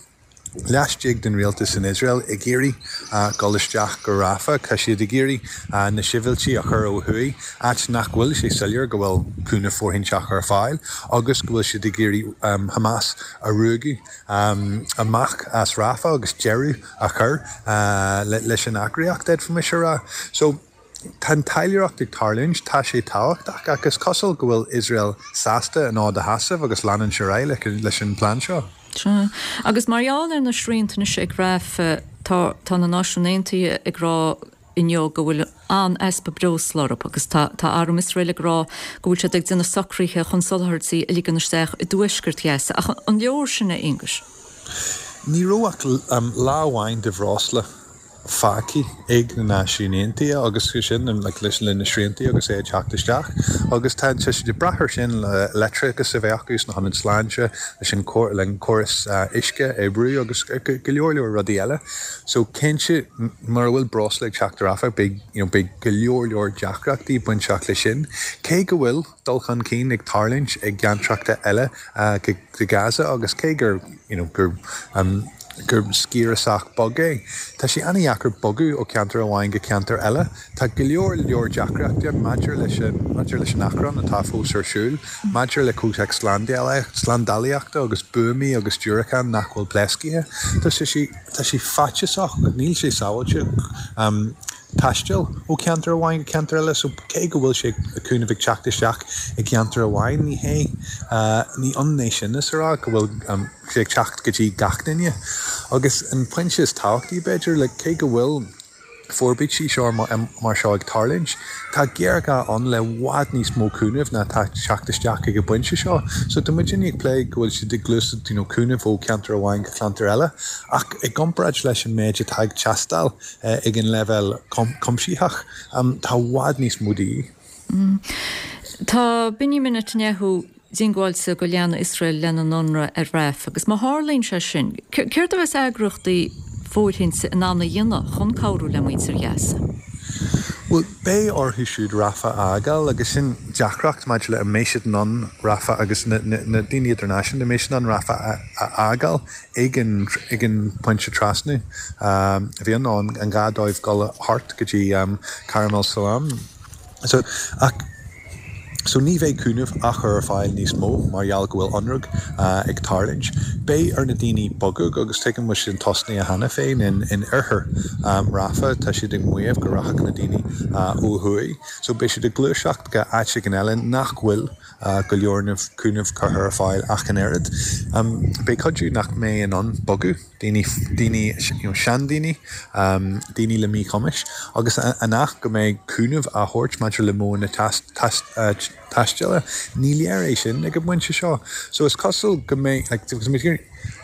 laistigh den rialtas in Iosrael ag iarraidh dul isteach go Rafah. Tá siad ag iarraidh na sibhialtaigh a chur ó thuaidh, áit nach bhfuil sé soiléir go bhfuil cúnamh fóirithinte ar fáil agus go bhfuil siad ag iarraidh Hamas a ruaigeadh amach as Rafah agus deireadh a chur leis an eagraíocht, d'fhéadfaimis a rá. So tá an taidhleoireacht ag tarlúint, tá sé tábhachtach ach is cosúil go bhfuil Iosrael sásta an fhód a sheasamh agus leanúint ar aghaidh leis an bplean seo. Sea. Agus mar gheall ar na srianta anois ag Rafah, tá tá na Náisiúin Aontaithe ag rá inniu go bhfuil an-easpa breosla orthu agus tá tá arm Iosrael ag rá go bhfuil siad ag déanamh socruithe chun soláthairtí a ligean isteach i dtuaisceart Ghaza. Ach an leor sin, a Aonghuis? Ní raibh ach lá amháin de bhreosla fágtha ag na Náisiúin Aontaithe agus sin like, leis na sriantaí agus é ag teacht isteach agus tá siad ag brath air sin le leictreachas a bheith acu sna hionaid sláinte leis an le an córas uisce oibriú agus go leor leor rudaí eile. So cinnte mura bhfuil breosla ag teacht ar Rafah beidh you know, beidh go leor leor deacrachtaí bainteach leis sin. Cé go bhfuil dul chun cinn ag tarlúint i gceantracha eile uh, go, go Gaza agus cé gur you know, gur um, gur sciar sách beag é. Tá sé an-deacair bogadh ó ceantar amháin go ceantar eile. Tá go leor leor deacrachtaí maidir leis an maidir leis an achrann atá fós ar siúl, maidir le comhthéacs slándálaíochta agus buamaí agus diúracáin nach bhfuil pléasctha. Tá sé tá sé faitíosach, níl sé sábháilte um, taisteal ó ceantar amháin go ceantar eile, so cé go bhfuil sé cúnamh ag teacht isteach i gceantar amháin ní hé uh, ní ionann é sin is a rá go bhfuil um, sé ag teacht go dtí gach duine. Agus an pointe is tábhachtaí b'fhéidir le cé go bhfuil forbairtí seo mar seo ag tarlúint, Tá géarghá ann le i bhfad níos mó cúnamh ná tá teacht isteach ag an bpointe seo. So tá muid ag plé go bhfuil siad ag gluaiseacht you know, cúnamh ó ceantar amháin go ceantar eile, ach i gcomparáid leis an méid atá ag teastáil eh, ag an leibhéal cuimsitheach, um, tá i bhfad níos mó de dhíth. Mm. Tá Benjamin Netanyahu diongbháilte go leanfaidh Iosrael lena n-ionradh ar Rafah agus má tharlaíonn sé sin, céard a bheas eagraíochtaí fóirithinte in ann a dhéanamh chun cabhrú le muintir Ghaza? Bhuel, beidh orthu siúd Rafah a fhágáil agus sin deacracht maidir le an mbeidh siad in ann Rafah agus na daoine idirnáisiúnta, an mbeidh siad in ann Rafah a fhágáil ag an ag an pointe trasnú a bhí ann, an gá dóibh dul thart go dtí Karam al-Salam. So, ach. So ní bheidh cúnamh á chur ar fáil níos mó mar gheall go bhfuil ionradh ag tarlúint. Beidh ar na daoine bogadh agus tuigim go bhfuil siad tosnaithe cheana féin in in oirthear Rafah, tá siad ag maíomh go rachadh na daoine ó thuaidh. So beidh siad ag gluaiseacht go áit éigin eile nach bhfuil go leor cúnamh curtha ar fáil ach an oiread. Beidh cuid nach mbeidh in ann bogadh. daoine, daoine, you know, seandaoine, daoine le míchumais, agus an ea go mbeidh cúnamh á thabhairt maidir le modhanna taisteala, ní léir é sin ag an bpointe seo. So is cosúil go mbeidh, like,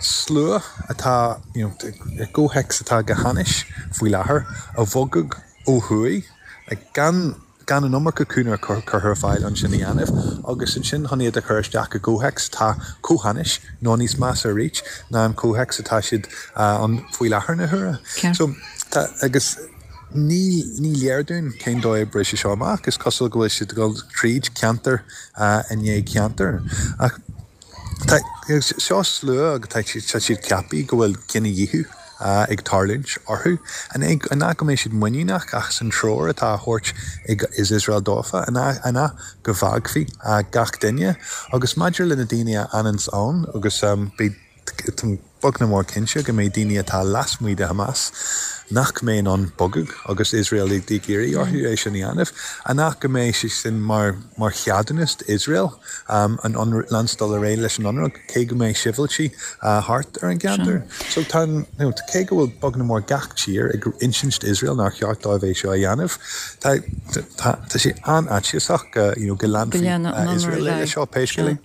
slua atá, you know, i gcomhthéacs atá go hainnis faoi láthair, a bhogadh ó thuaidh, like, gan, gan an iomarca cúnamh curtha ar fáil ansin a dhéanamh agus ansin chun iad a chur isteach i gcomhthéacs atá chomh hainnis nó níos measa arís ná an comhthéacs atá siad ann faoi láthair na huaire. So tá agus ní ní léir dúinn cén dóigh a oibreoidh sé seo amach. Is cosúil go bhfuil siad ag dul tríd ceantar i ndiaidh ceantair ach Tá seo slua agus tá siad ceaptha go bhfuil cinedhíothú ag tarlúint orthu. An ea go mbeidh siad muiníneach as an treoir atá á thabhairt ag Iosrael dófa? An ea go bhfágfaí gach duine? Agus maidir le na daoine a fhananns ann agus beidh táim beag nó mór cinnte go mbeidh daoine atá lasmuigh de Hamas nach mbeidh in ann bogadh agus Iosrael ag iarraidh orthu é sin a dhéanamh, an ea go mbeidh sé sin mar mar cheadúnas d'Iosrael an leanstan dul ar aghaidh leis an ionradh cé go mbeidh sibhialtaigh thart ar an gceantar. So tá an, you know, cé go bhfuil beag nó mór gach tír ag insint d'Iosrael nár cheart dóibh é seo a dhéanamh, tá tá tá sé an-fhaitíosach go, you know, go leanfaidh Iosrael leis seo pé scéal é.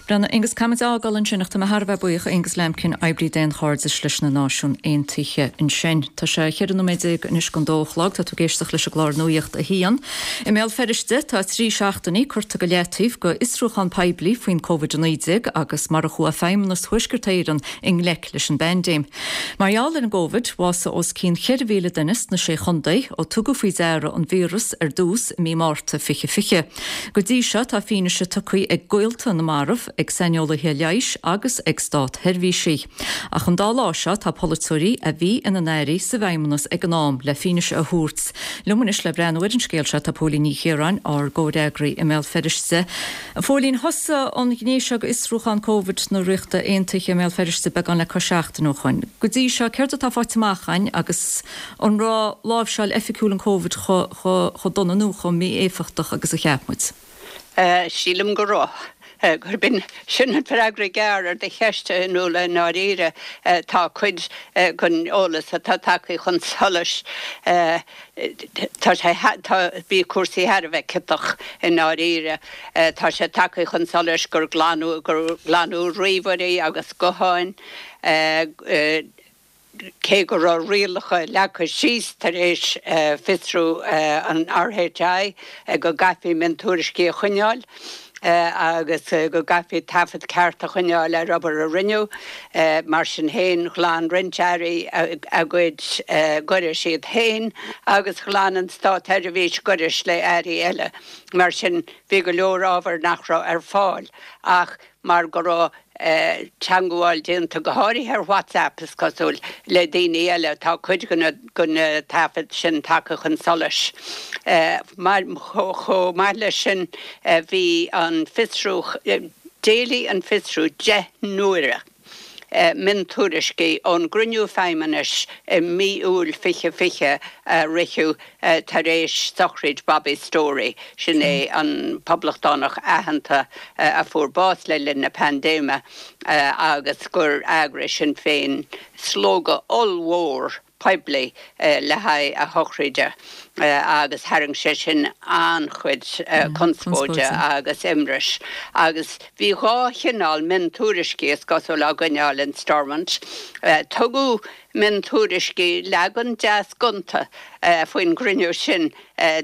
Breandán, Aonghus, caithfimid a fhágáil ansin ach tá mé thar a bheith buíoch, Aonghus Lambkin, oibrí daonchairdis leis na Náisiúin Aontaithe ansin. Tá sé cheithre nóiméad déag anois don dó a chlog, tá tú ag éisteacht leis an gclár Nuacht a hAon. I mBéal Feirste tá trí seachtainí curtha go leataobh go fhiosrúchán poiblí faoin Covid a naoi déag agus mar a chuaigh Feidhmeannas Thuaisceart Éireann i ngleic leis an bpaindéim. Mar gheall ar an gCovid, bhásaigh os cionn cheithre mhíle duine sna Sé Chontae ó tugadh faoi deara an víreas ar dtús i mí Márta fiche fiche. Go dtí seo tá fianaise tugtha ag gaolta na marbh, ag saineolaithe leighis agus ag státsheirbhísigh. Ach an dá lá seo tá polaiteoirí a bhí ina n-airí sa bhFeidhmeannas ag an am le fianaise a thabhairt. Liom anois le breathnú ar an scéal seo tá Póilín Ní Chiaráin, ár gcomhfhreagraí i mBéal Feirste. A Phóilín, thosaigh an ghné seo d'fhiosrúchán Covid na Ríochta Aontaithe i mBéal Feirste beagán le cois seachtaine ó shoin. Go dtí seo, céard atá faighte amach againn agus an raibh láimhseáil oifigiúil an Covid chomh dona nó chomh mí-éifeachtach agus a cheap muid? Sílim go raibh. Gurb in sin an freagra gearr ar do cheist, a Fhionnuala, i ndáiríre. Tá cuid den eolas atá tagtha chun solais, tá sé, tá, bhí cúrsaí thar a bheith ciotach i ndáiríre. Tá sé tagtha chun solais gur glanadh, gur glanadh ríomhairí agus gutháin, Cé go raibh rialacha leagtha síos tar éis fiosrú an R H I go gcaithfí miontuairiscí a choinneáil agus go gcaithfí taifead ceart a choinneáil ar obair a rinneadh, mar sin féin, ghlan roinnt airí a gcuid gairis iad féin agus ghlan an státseirbhís gairis le airí eile. Mar sin, bhí go leor ábhair nach raibh ar fáil ach mar go raibh teagmháil déanta, go háirithe ar WhatsApp, is cosúil, le daoine eile. Tá cuid de na taifid sin tagtha chun solais. Chomh maith leis sin, bhí an fiosrú, d'éiligh an fiosrú deich n-uaire miontuairiscí ón gcruinniú Feidhmeannais i mí Iúil fiche fiche a ritheadh tar éis sochraid Bobby Storey, sin é an poblachtánach aitheanta a fuair bás le linn na paindéime agus gur eagraigh Sinn Féin slógadh ollmhór poiblí le haghaidh a shochraide agus tharraing sé sin an-chuid conspóide agus imris. Agus bhí dhá chineál miontuairiscí, is cosúil, á gcoinneáil in Stormont. Tugadh miontuairiscí, leagan deas gonta faoin gcruinniú sin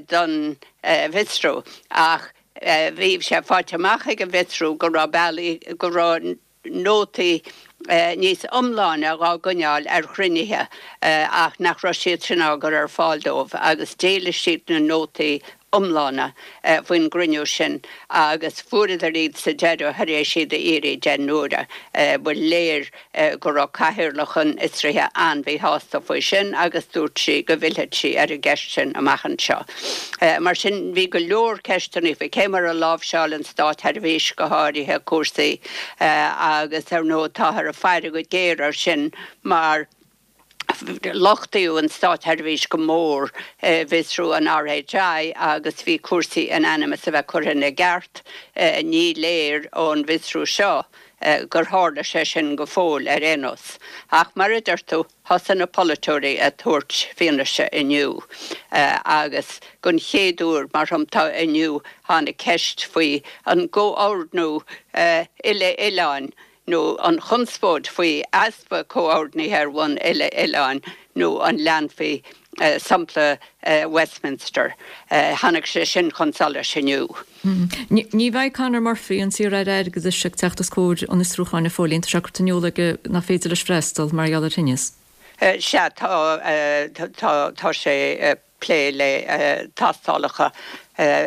don bhfiosrú ach bhí sé faighte amach ag an bhfiosrú go raibh bealaí, go raibh nótaí níos iomláine dhá gcoinneáil ar chruinnithe ach nach raibh siad sin á gcur ar fáil dóibh agus d'éiligh siad na nótaí iomlána faoin gcruinniú sin agus fuaireadar iad sa deireadh tar éis iad a iarraidh deich n-uaire. Ba léir go raibh cathaoirleach an fhiosraithe an-mhíshásta faoi sin agus dúirt sí go bhfillfeadh sí ar an gceist sin amach anseo. Mar sin bhí go leor ceisteanna faoi cé mar a láimhseáil an státsheirbhís go háirithe cúrsaí agus ar ndóigh táthar ag faire go géar air sin mar lochtaíodh an státsheirbhís go mór i bhfiosrú an RHI agus bhí cúrsaí in ainm is a bheith curtha ina gceart. Ní léir ón bhfiosrú seo gur tharla sé sin go fóill ar aon nós. Ach mar a deir tú, thosaigh na polaiteoirí ag tabhairt fianaise inniu agus don chéad uair, mar shampla inniu, tháinig ceist faoi an gcomhordnú uile-oileáin nó an chonspóid faoi easpa comhordnaithe ar bhonn uile-oileáin nó an leanfaí sampla Westminster. Tháinig sé sin chun solais inniu. Ní bheidh Conor Murphy, an t-iar-aire airgeadais, ag teacht os comhair an fhiosrúcháin, a Phóilín. Tá sé curtha in iúl aige nach féidir leis freastal mar gheall ar thinneas. Sea, tá, tá sé ag plé le tástálacha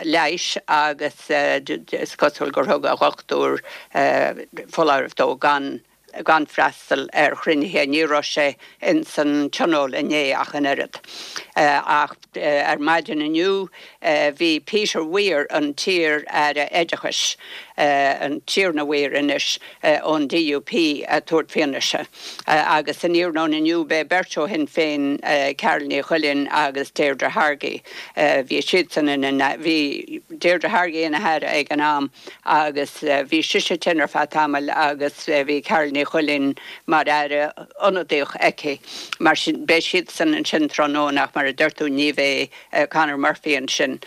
leighis agus is cosúil gur thug a dhochtúir foláireamh dó gan gan freastal ar chruinnithe. Ní raibh sé ins an tionól inné ach an oiread. Ach ar maidin inniu bhí Peter Weir, an t-iar-aire oideachais, an Tiarna Weir anois, ón DUP ag tabhairt fianaise. Agus san iarnóin inniu beidh beirt ó Shinn Féin, Carál Ní Chuilín agus Deirdre Hargey. Bhí siadsan ina, bhí Deirdre Hargey ina haire ag an am agus bhí sise tinn ar feadh tamaill agus bhí Carál Ní Chuilín mar aire ionadaíoch aici. Mar sin beidh siadsan ansin tráthnóna ach mar a deir tú ní bheidh Conor Murphy ansin.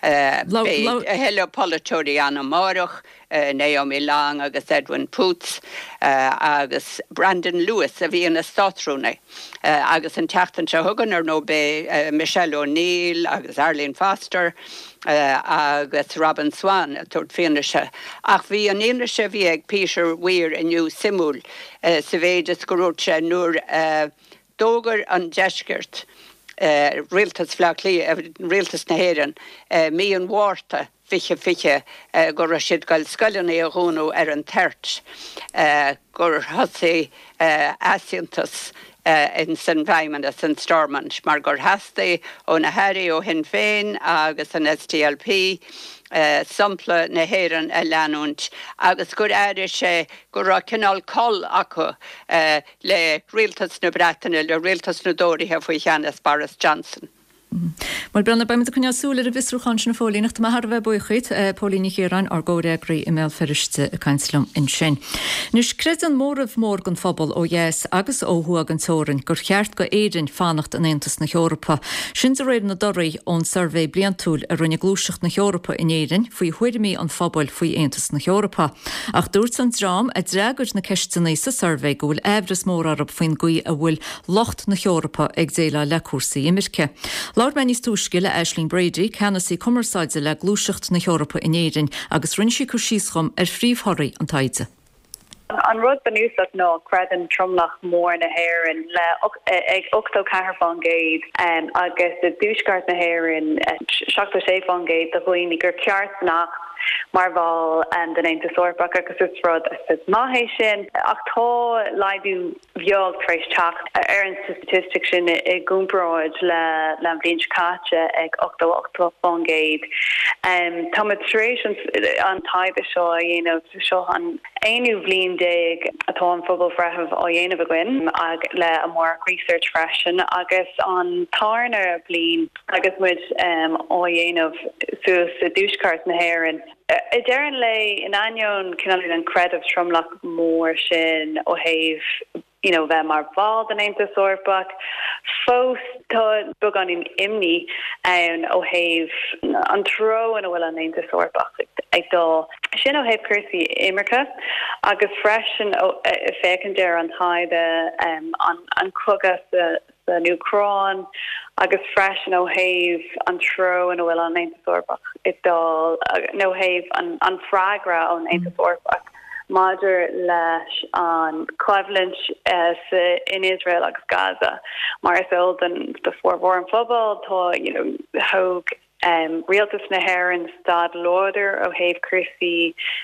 Beidh a thuilleadh polaiteoirí ann amárach, Naomi Long agus Edwin Poots agus Brandon Lewis a bhí ina Státrúnaí. Agus an tseachtain seo chugainn ar ndóigh beidh Michelle O'Neill agus Arlene Foster agus Robin Swann ag tabhairt fianaise. Ach bhí an fhianaise a bhí ag Peter Weir inniu suimiúil sa mhéid is gur dhúirt sé nuair a d'fhógair an Deisceart, Rialtas Bhaile Átha Cliath, Rialtas na hÉireann, mí an Mhárta fiche fiche go raibh siad ag goil scoileanna a dhúnadh ar an toirt, gur thosaigh easaontas ins an bhFeidhmeannas in Stormont mar gur theastaigh ó na hairí ó Shinn Féin agus an SDLP sampla na hÉireann a leanúint agus gur airigh sé go raibh cineál col acu le rialtas na Breataine, le rialtas na dTóraithe faoi cheannas Boris Johnson. Bhuel, Brendan, beimid ag coinneáil súil ar an bhfiosrúchán sin, a Phóilín, ach tá mé thar a bheith buíoch díot, Póilín Ní Chiaráin, ár gcomhfhreagraí i mBéal Feirste ag caint liom ansin. Anois, creideann móramh mór den phobal ó dheas agus ó thuaidh den teorainn gur cheart go Éirinn fanacht in Aontas na hEorpa. Sin de réir na dtorthaí ón suirbhé bliantúil a rinne Gluaiseacht na hEorpa in Éirinn faoi thuairimí an phobail faoi Aontas na hEorpa. Ach dúirt an dream a d'fhreagair na ceisteanna sa suirbhé go bhfuil aimhreas mór orthu faoin gcaoi a bhfuil lucht na hEorpa ag déileáil le cúrsaí imirce. Labhair mé níos túisce le Aisling Brady, Ceannasaí Cumarsáide le Gluaiseacht na hEorpa in Éirinn agus rinne sí cur síos dhom ar phríomhthorthaí an taighde. An rud bunúsach ná creideann tromlach mór na hÉireann le ag ochtó ceathair faoin gcéad agus i dtuaisceart na hÉireann seachtó sé faoin gcéad de dhaoine gur ceart fanacht mar bhall den Aontas Eorpach agus is rud is maith é sin ach tá laghdú beag tar éis teacht ar an staitistic sin i gcomparáid le le an bhliain seo caite ag ochtó ocht faoin gcéad. Táimid tar éis an taighde seo a dhéanamh, seo an aonú bhliain déag atá an phobalbhreith á dhéanamh againn ag le Amárach Research freisin agus an tarna bliain agus muid á dhéanamh suas i dtuaisceart na hÉireann. I deireadh an lae, in ainneoin cineál an creideamh tromlach mór sin ó thaobh you know bheith mar bhall den Aontas Eorpach, fós tá beagáinín imní ann ó thaobh an treo ina bhfuil an Aontas Eorpach ag dul. Sin ó thaobh cúrsaí imirce agus freisin ó féachaint ar an taighde an cogadh sa san Úcráin agus freisin ó thaobh an treo ina bhfuil an Aontas Eorpach ag dul nó ó thaobh an freagra ón Aontas Eorpach maidir leis an choimhlint in Iosrael agus Gaza. Mar is eol don do formhór an phobail tá you know, thóg um, rialtas na hÉireann stad láidir ó thaobh cúrsaí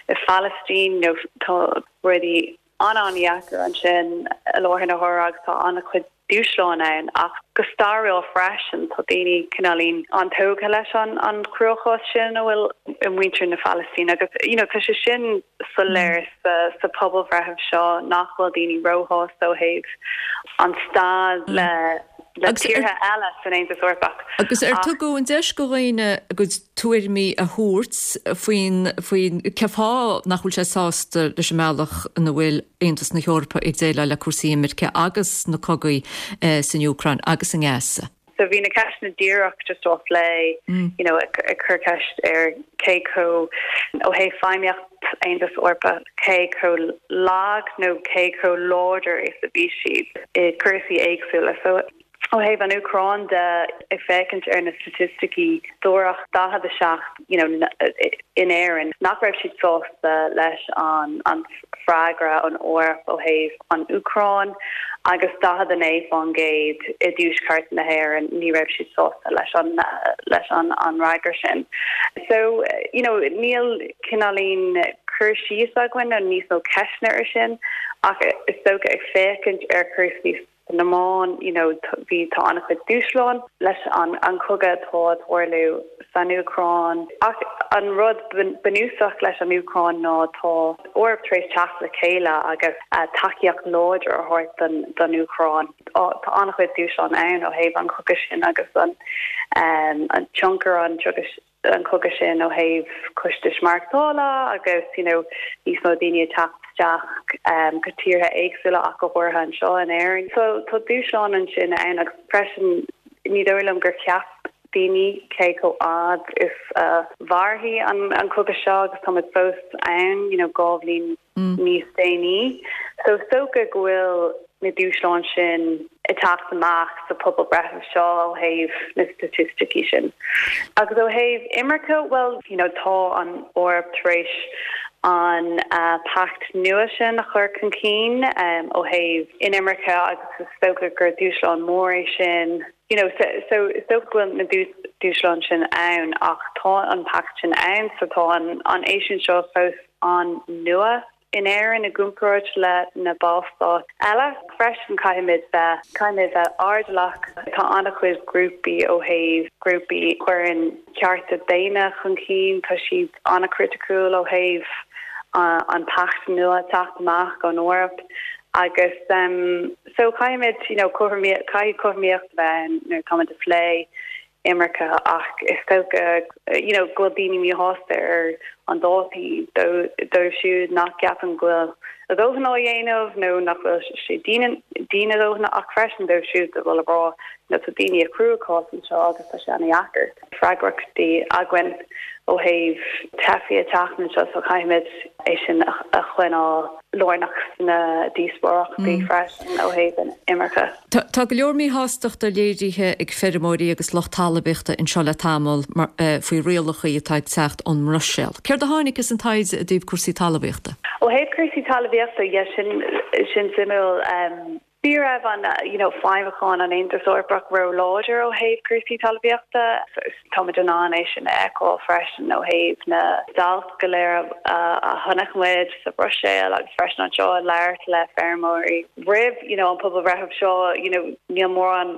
i Phalaistín nó tá rudaí an-an-deacair ansin i láthair na huaire agus tá an-chuid dúshlán ann ach go stairiúil freisin tá daoine cineáilín an-tógtha leis an an cruachás sin a bhfuil i muintir na Palaistíne agus you know, tá sé sin soiléir sa, sa pobalbhreitheamh seo nach bhfuil daoine róshásta ó thaobh an staid le le tíortha eile san Aontas Eorpach. Agus ar tugadh an deis do dhaoine a gcuid tuairimí a thabhairt faoin faoin cé fáth nach bhfuil siad sásta leis an mbealach ina bhfuil Aontas na hEorpa ag déileáil le cúrsaí imirce agus na cogaí eh, san Úcráin agus i nGaza. So bhí na ceisteanna díreach just á phlé mm. you know, ag, ag cur ceist ar cé chomh ó thaobh feidhmíocht Aontas Eorpach cé chomh lag nó cé chomh láidir is a bhí siad i cúrsaí éagsúla. So ó thaobh an Úcráin de ag féachaint ar na staitisticí dúirt daichead a seacht you know, in Éirinn nach raibh siad sásta leis an an freagra an Eoraip ó thaobh an Úcráin agus daichead a naoi faoin gcéad i dtuaisceart na hÉireann ní raibh siad sásta leis an leis an an fhreagra sin. So you know, níl cineáilín cur síos againn an níos mó ceisteanna ar sin ach is dócha ag féachaint ar cúrsaí na meán you know, bhí tá an-chuid dúshlán leis an an cogadh atá ag tarlú san Úcráin. Ach an rud bunúsach leis an Úcráin ná tá Eoraip tar éis teacht le chéile agus uh, tacaíocht láidir a thabhairt don don Úcráin. Tá an-chuid dúshlán ann ó thaobh an chogadh sin agus an um, an tionchar an an cogadh sin ó thaobh costais maireachtála agus you know, níos mó daoine teacht isteach um, go tíortha éagsúla ach go háirithe anseo in Éirinn. So tá dúshlán ansin ann agus freisin ní dóigh liom gur cheap daoine cé chomh fada is uh, mhairfidh an, an cogadh seo agus tá fós ann you know, dhá bhliain mm. níos déanaí. So is dócha go bhfuil na dúshláin sin ag teacht amach sa pobalbhreitheamh seo ó thaobh na staitisticí sin. Agus ó thaobh imirce well you know, tá an Eoraip tar éis an uh, pact nua sin a chur chun cinn um, ó thaobh inimirce agus is dócha gur dúshlán mór é sin. You know, so, so is dócha go bhfuil na dúshláin sin ann ach tá an pact sin ann, so tá an, an éisiún seo fós an-nua in Éirinn i gcomparáid le na Ballstáit eile. Freisin caithfimid bheith caithfimid bheith airdeallach tá an-chuid grúpaí ó thaobh grúpaí a chuireann cearta daonna chun cinn tá siad an-chriticiúil ó thaobh uh, an pact nua teacht amach ón Eoraip agus um, so caithfimid you know, caithfidh cothromaíocht bheith nuair táimid ag plé imirce ach is dócha you know, go bhfuil daoine míshásta ar an dá thaobh dóibh siúd nach gceapann go bhfuil a dóthain á dhéanamh nó nach bhfuil sé dian a dhóthain ach freisin dóibh siúd a bhfuil ag rá nó tá daoine i gcruachás anseo agus tá sé an-deacair. Freagrachtaí againn ó thaobh teifigh ag teacht anseo so caithfimid é sin a choinneáil lárnach sna díospóireachtaí mm. freisin ó thaobh an imirce. Tá go leor míshástachta léirithe ag feirmeoirí agus lucht talmhaíochta anseo le tamall eh, faoi rialacha atá ag teacht ón mBruiséil. Céard a tháinig as an taighde i dtaobh cúrsaí talmhaíochta? Ó thaobh cúrsaí talmhaíochta sin sin suimiúil um, Ní raibh an you know, feidhmiúchán an Aontas Eorpach ró-láidir ó thaobh cúrsaí talmhaíochta, Táimid in ann é sin a fheiceáil freisin ó thaobh na stailc go léir a chonaic muid sa Bhruiséil agus freisin anseo ag labhairt le feirmeoirí. Roimh you know, an pobalbhreitheamh seo you know, níl mórán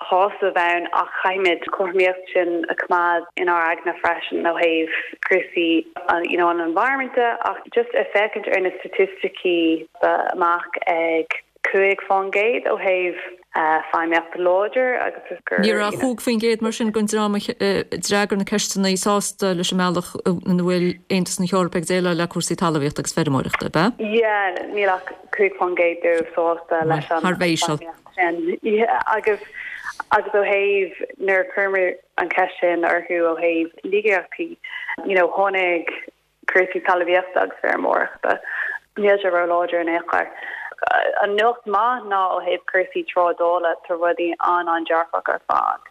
sásamh ann ach caithfimid cothromaíocht sin a choimeád inár aigne freisin ó thaobh cúrsaí you know, an environment ach just ag féachaint ar na staitisticí amach ag cúig faoin gcéad ó thaobh feidhmíocht láidir agus gur Ní raibh cúig faoin gcéad mar sin den dream a d'fhreagair na ceisteanna sásta leis an mbealach ina bhfuil Aontas na hEorpa ag déileáil le cúrsaí talmhaíochta agus feirmeoireachta, ab ea? Yeah, níl ach cúig faoin gcéad dóibh sásta leis an Thar bhéisiil. sin. Yeah, agus agus ó thaobh nuair a chuireamar an cheist sin orthu ó thaobh laigeachtaí, you know, tháinig cúrsaí talmhaíochta agus feirmeoireachta. Níl sé ró-láidir in aon chor. Eorpach. An nuacht maith ná ó thaobh cúrsaí trádála tá rudaí an-an-dearfach ar fad.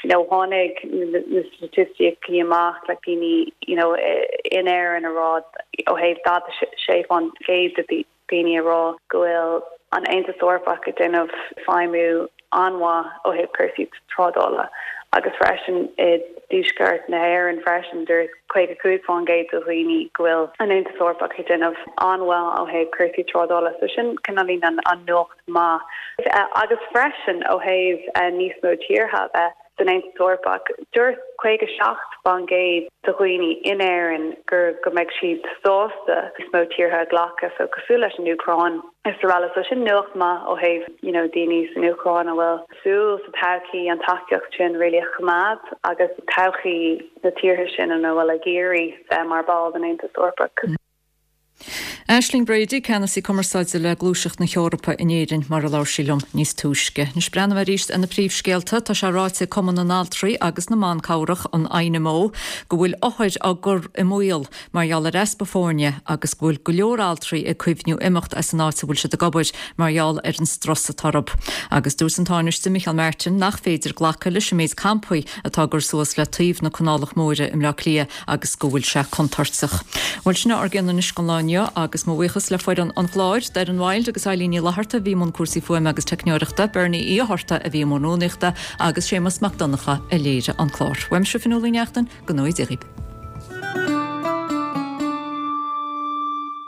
You know, tháinig na staitisticí amach le daoine you know, in Éirinn a rá ó thaobh daichead sé faoin gcéad de daoine a rá go bhfuil an Aontas Eorpach ag déanamh feidhmiú an-mhaith ó thaobh cúrsaí trádála agus freisin i dtuaisceart na hÉireann freisin dúirt caoga cúig faoin gcéad de dhaoine go bhfuil an Aontas Eorpach ag déanamh an-mhaith ó thaobh cúrsaí trádála so sin cineáilín an an nuacht maith agus freisin ó thaobh níos mó tíortha bheith san Aontas Eorpach dúirt caoga seacht faoin gcéad de dhaoine in Éirinn gur go mbeidh siad sásta níos mó tíortha a ghlacadh so cosúil leis an Úcráin is araile so sin nuacht maith ó thaobh you know daoine san Úcráin a bhfuil súil sa todhchaí an tacaíocht sin really a choimeád agus todhchaí na tíortha sin ina bhfuil ag iarraidh bheith mar ball den Aontas Eorpach. Aisling Brady, ceannasaí cumarsáide le Gluaiseacht na hEorpa in Éirinn mar a labhair sí liom níos túisce. Anois breathnóimid arís ar na príomhscéalta tá sé ráite ag Cumann na nAltraí agus na mBan Cabhrach an INMO go bhfuil othair á gcur i mbaol mar gheall ar easpa foirne agus go bhfuil go leor altraí ag cuimhniú imeacht as an áit a bhfuil siad ag obair mar gheall ar an strus atá orthu. Agus dúirt an Tánaiste Micheál Martin nach féidir glacadh leis an méid campaí atá á gcur suas le taobh na Canálach Móire i mBleá Cliath agus go bhfuil sé contúirteach. Bhuel sin ár gceann anois don lá inniu agus mo bhuíochas le foireann an chláir, Darren Wild agus Eileen Ní Fhlatharta a bhí i mbun cúrsaí fuaime agus teicneoireachta, Bernie Uí Fhátharta a bhí i mbun rúnaíochta agus Séamus Mac Donncha a léirigh an clár. Uaimse Fionnuala Ní Neachtain, go ngnóthaí Dia dhaoibh.